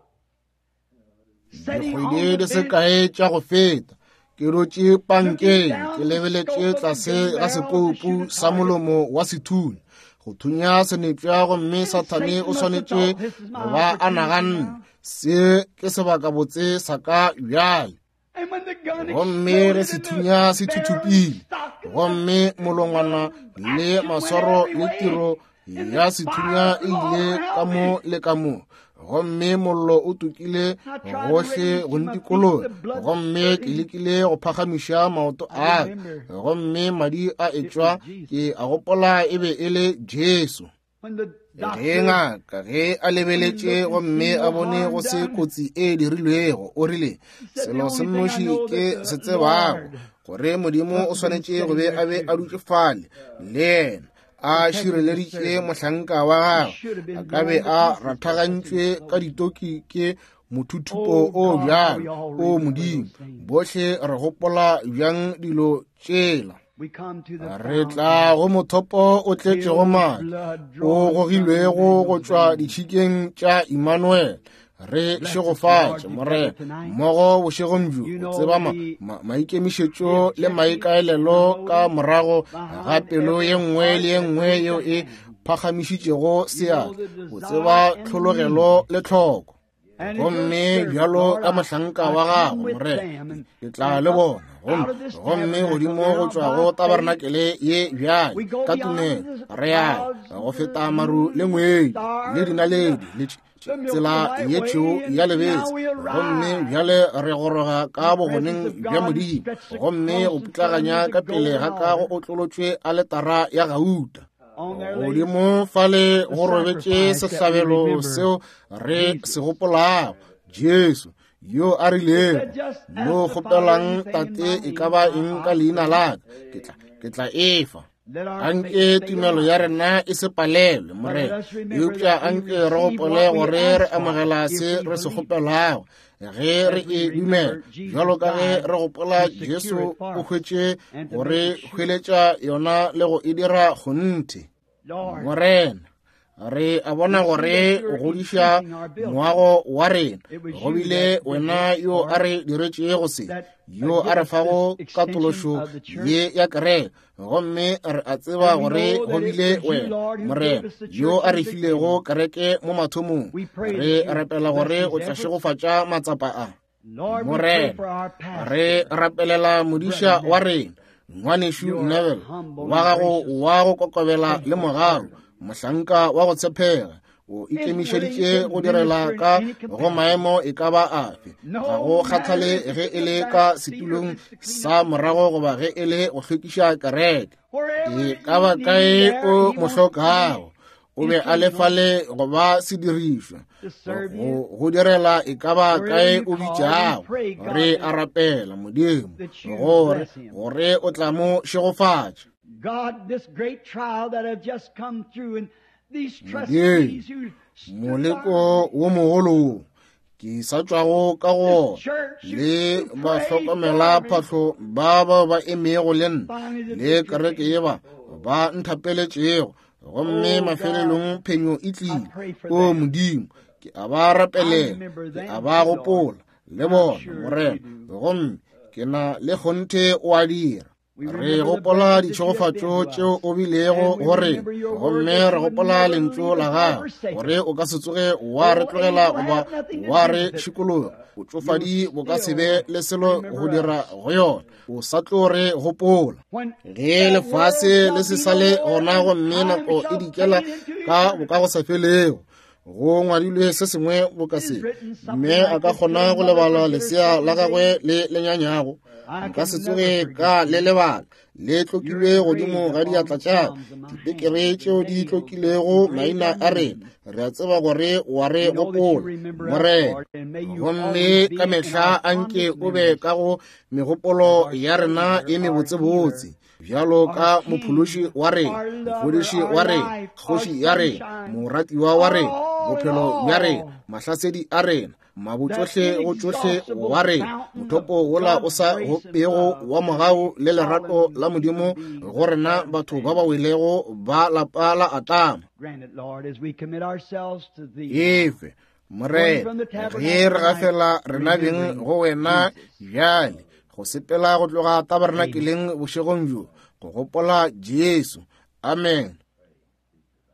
Dikgwedi di se kae tša go feta, ke dutše pankeng ke lebeletše tlase ga sekoupu sa molomo wa sethunya go thunya senepša, gomme Sathane o swanetše go ba a naganne se ke sebakabotse sa ka bjale. Gomme ge sethunya se thuthupile, gomme molongwana le maswaro le tiro ya sethunya e ile ka mo le ka mo, gomme mollo o tukile gohle go ntikologa, gomme ke lekile go phagamiša maoto a ka, gomme madi a etšwa, ke a gopola e be e le Jesu. Ge ngaka ge a lebeletše gomme a bone go se kotsi e dirilwego, o rile, selo se nnoši ke se tsebago, gore Modimo o swanetše go be a be a dutše fale le yena a šireleditše mohlanka wa gagwe, a ka be a rathagantšwe ka ditoki ke mothuthupo o bjalo. O Modimo, bohle re gopola bjang dilo tšela. Re tla go mothopo o tletšego madi o gogilwego go tšwa ditšhikeng tša Immanuel. Re šegofatše Morena mmogo bošegong bjo, o tseba ma, ma, maikemišetšo le maikaelelo ka morago ga pelo ye nngwe le ye nngwe yeo e phagamišitšego seatla, o tseba tlhologelo le tlhoko. Gomme bjalo ka mohlanka wa gago Morena, ke tla le bona gomme gomme godimo go tšwa go tabarnakele ye bjale ka tumelo re ya go feta maru le ngwedi le dinaledi le tsela ye tšhweu ya lebese, gomme bjale re goroga ka bogoneng bja Modimo, gomme go putlaganya ka pele ga ka go otlolotšwe aletara ya gauta. Godimo fale go robetše sehlabelo seo re se gopolago, Jesu yo a rilego, mo kgopelang Tate e ka ba eng ka leina la ka, ke tla ke tla efa. Anke tumelo ya rena e se palelwe, Morena, eupša anke re gopole gore re amogela se re se kgopelago ge re e dumela, bjalo ka ge re gopola Jesu o hwetše gore hweletša yona le go e dira kgonthe. Morena, re a bona gore o godiša moago wa rena, go bile wena yo a re diretšego se, yo a re fago katološo ye ya kereke, gomme re a tseba gore go bile wena Morena yo a re filego kereke mo mathomong. Re rapela gore o tla šegofatša matsapa a. Morena, re rapelela modiša wa rena ngwanešu Neville wa gago wa go kokobela le mogau, mohlanka wa go tshepega, o ikemišeditše go direla ka go maemo e ka ba afe, ga go kgathale ge e le ka setulong sa morago goba ge e le go hlwekiša kereke. E ka ba kae o mo hlokago, o be a le fale go ba sedirišwa go go direla e ka ba kae o bitšago. Re a rapela Modimo gore gore o tla mo šegofatša. Modimo, moleko wo mogolo wo ke sa tšwago ka go le bahlokomela phahlo ba bao ba emego le nna le kereke ye ba ba nthapeletšego, gomme mafelelong phenyo e tlile. O Modimo, ke a ba rapelela, ke a ba gopola le bona Morena, gomme ke na le kgonthe o a dira. Re gopola ditšhegofatšo tšeo o bilego go rena, gomme re gopola lentšu la gago gore o ka se tsoge wa re tlogela goba wa re šikologa. Botšofadi bo ka se be le selo go dira go yona, o sa tlo re gopola. Ge lefase le se sa le gona gomme nako e dikela ka bokagosafelego, go ngwadilwe se sengwe boka se, mme a ka kgona go lebala lesea la gagwe le lenyanyago, nka se tsoge ka le lebala. Le tlokilwe godimo ga diatla tša dipekere tšeo di tlokilego maina a rena. Re a tseba gore wa re gopola Morena, gomme ka mehla anke o be ka go megopolo ya rena e mebotsebotse, bjalo ka mophološi wa rena, mofodiši wa rena, kgoši ya rena, moratiwa wa rena, bophelo bja rena, mahlasedi a rena, mabotsohle go tšohle wa rena, mothopo wola o sa gopego wa mogau le lerato la Modimo go rena batho ba ba welego ba lapa la Atama. Efe Morena, ge re gafela rena beng go wena bjale, go sepela go tloga tabernakeleng bošegong bjo, go gopola Jesu. Amen.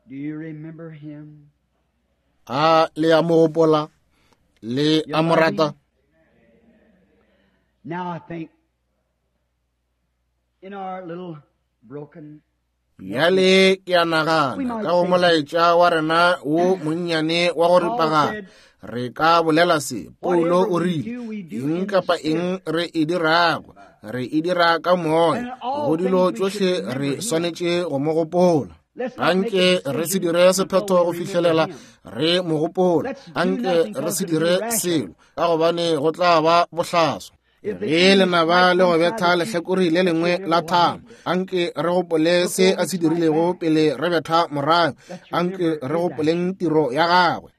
Do you remember him? A le a mo gopola? Le a mo rata? Now I think in our little broken Bjale ke a nagana ka go molaetša wa rena wo monnyane wa go ripagana, re ka bolela se. Paulo o rile, eng kapa eng re e dirago, re e dira ka moya. Go dilo tšohle re swanetše go mo gopola. Anke re se dire sephetho go fihlelela re mo gopola. Anke re se dire selo, ka gobane go tla ba bohlaswa. Ge lenaba le go betha lehlakore le lengwe la thamo, anke re gopole se a se dirilego pele re betha morago. Anke re gopoleng tiro ya gagwe.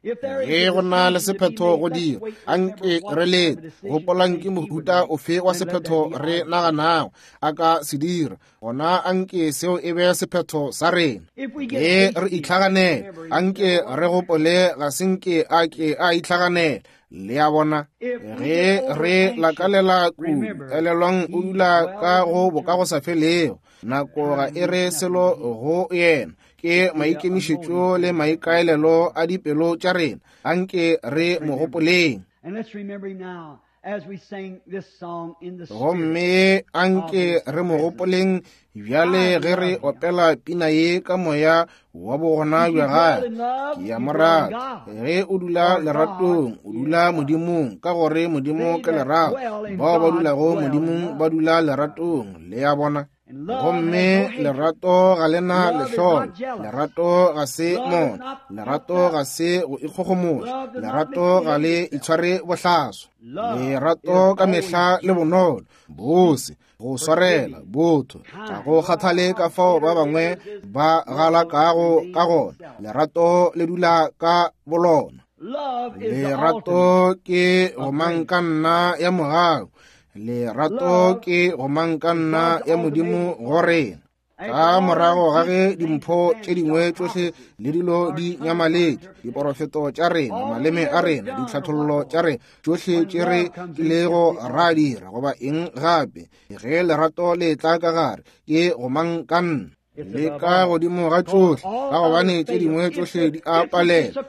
Ge go na le sephetho go dira, anke re lete. Gopolang ke mohuta ofe wa sephetho re naganago a ka se dira, gona anke seo e be sephetho sa rena. Ge re itlhaganela, anke re gopole ga se nke a ke a itlhaganela. Le a bona? Ge re lakalela kudu, elelwang o dula ka go bokagosafelego. Nako ga e re selo go yena. Ke maikemišetšo le maikaelelo a dipelo tša rena. Anke re mo gopoleng. And let's remember him now as we sing this song in the spirit. Gomme anke re mo gopoleng bjale ge re opela pina ye ka moya wa bogona bja gagwe. Ke a mo rata. Ge o dula leratong, o dula Modimong, ka gore Modimo ke lerato. Bao ba dulago Modimong ba dula leratong. Le a bona? Gomme lerato ga le na lehlolo. Lerato ga se mona. Lerato ga se go ikgogomoša. Lerato ga le itshware bohlaswa. Lerato ka mehla le bonolo, bose, go swarela, botho. Ga go kgathale ka fao ba bangwe ba galakago ka gona. Lerato le dula ka bolona. Love is the ultimate. Lerato ke gomangkanna ya mogau. Lerato ke gomangkanna ya Modimo go rena. Ka morago ga ge dimpho tše dingwe tšohle le dilo di nyamaletše, diporofeto tša rena, maleme a rena, ditlhathollo tša rena, tšohle tše re kilego ra dira goba eng gape, ge lerato le tla ka gare, ke gomangkanna. Le ka godimo ga tšohle, ka gobane tše dingwe tšohle di a palela.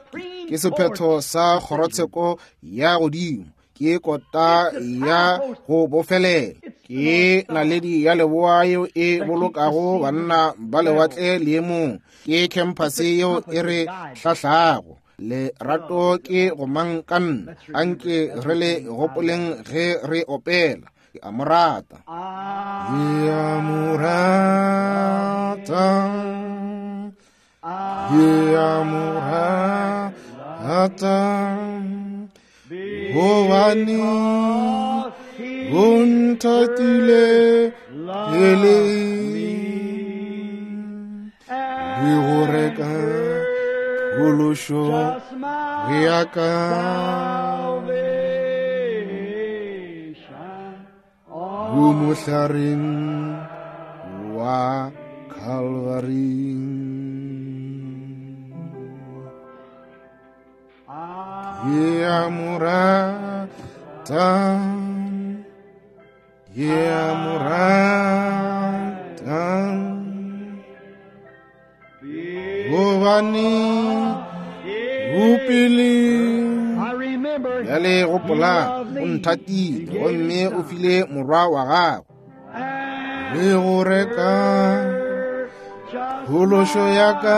Ke sephetho sa kgorotsheko ya godimo, ke kota ya go bofelela, ke naledi ya leboa yeo e bolokago banna ba lewatle leemong, ke khamphase yeo e re hlahlago. Lerato ke gomangkanna. Anke re le gopoleng ge re opela. Ke a mo rata. Ke a mo rata. Ke a mo rata. Gobane o nthatile pele, le go reka phološo ya ka. Go mohlareng wa Calvary. Ke a mo rata, ke a mo rata, gobane o pele. I remember Bjale gopola, o nthatile gomme o file morwa wa gagwe le go reka phološo ya ka.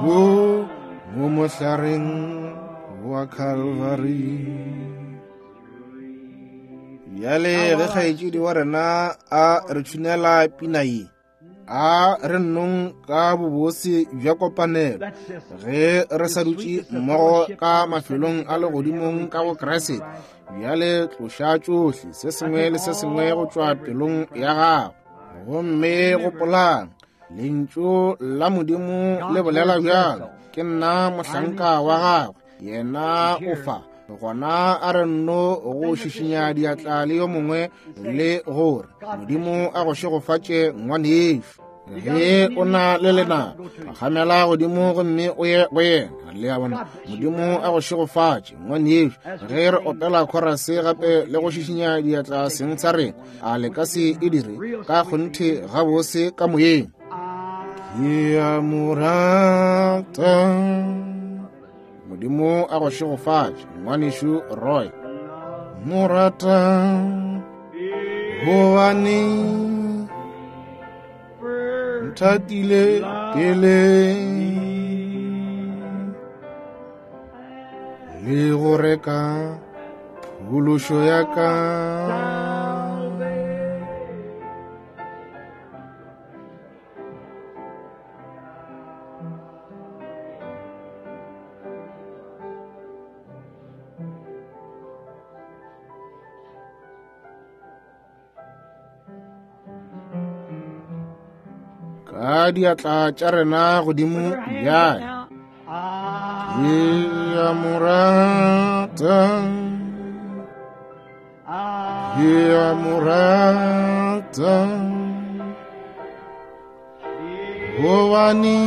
Go mo mohlareng wa Calvary. Bjale ge kgaetšedi wa rena a re tšhunela pina ye, a re nnong ka bobose bja kopanelo ge re sa dutše mmogo ka mafelong a legodimong ka go Kriste. Bjale tloša tšohle, se sengwe le se sengwe go tšwa pelong ya gago. Gomme gopolang, lentšu la Modimo le bolela bjalo, ke nna mohlanka wa gagwe, yena o fa. Gona a re nno go šišinya diatla le yo mongwe le gore Modimo a go šegofatše ngwanešu. Ge o na le lena, phagamela godimo gomme o ye go yena. Le a bona? Modimo a go šegofatše, ngwanešu. Ge re opela khorase gape le go šišinya diatla seng sa rena, a le ka se e dire ka kgonthe gabose ka moyeng? Ke a mo rata. Modimo a go šegofatše, ngwanešu Roy. Mo rata gobane nthatile pele le go reka phološo ya ka. Ka diatla tša rena godimo bjale. Ke a mo rata, ke a mo rata, gobane.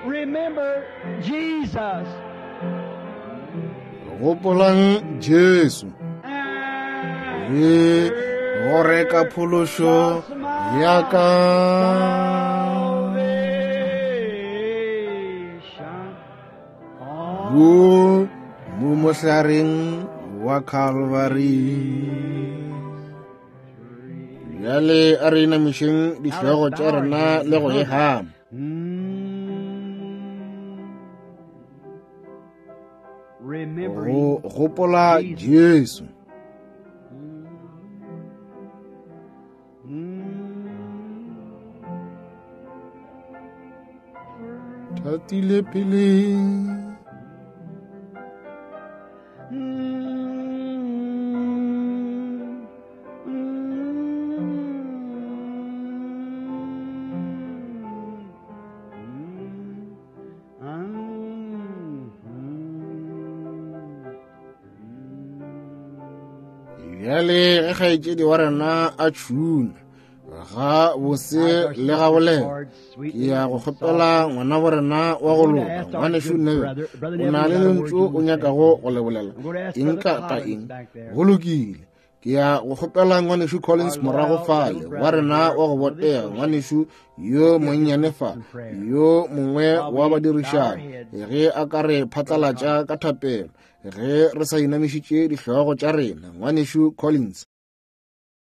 Remember Jesus. Gopolang Jesu le go reka phološo ya ka. Wo mo mohlareng wa Calvary. Bjale a re inamišeng dihlogo tša rena le go e hama. Go gopola Jesu. Thatile pele. Bjale ge kgaetšedi wa rena a tšhuna ga bose le ga bolela, ke ya go kgopela ngwana wa rena wa go loka, ngwanešu Neville, o na le lentšu o nyakago go le bolela eng kapa eng? Go lokile. Ke ya go kgopela ngwanešu Collins morago fale, wa rena wa go botega, ngwanešu yo monnyane fa, yo mongwe wa badirišani, ge a ka re phatlalatša ka thapelo ge re sa inamišitše dihlogo tša rena. Ngwanešu Collins.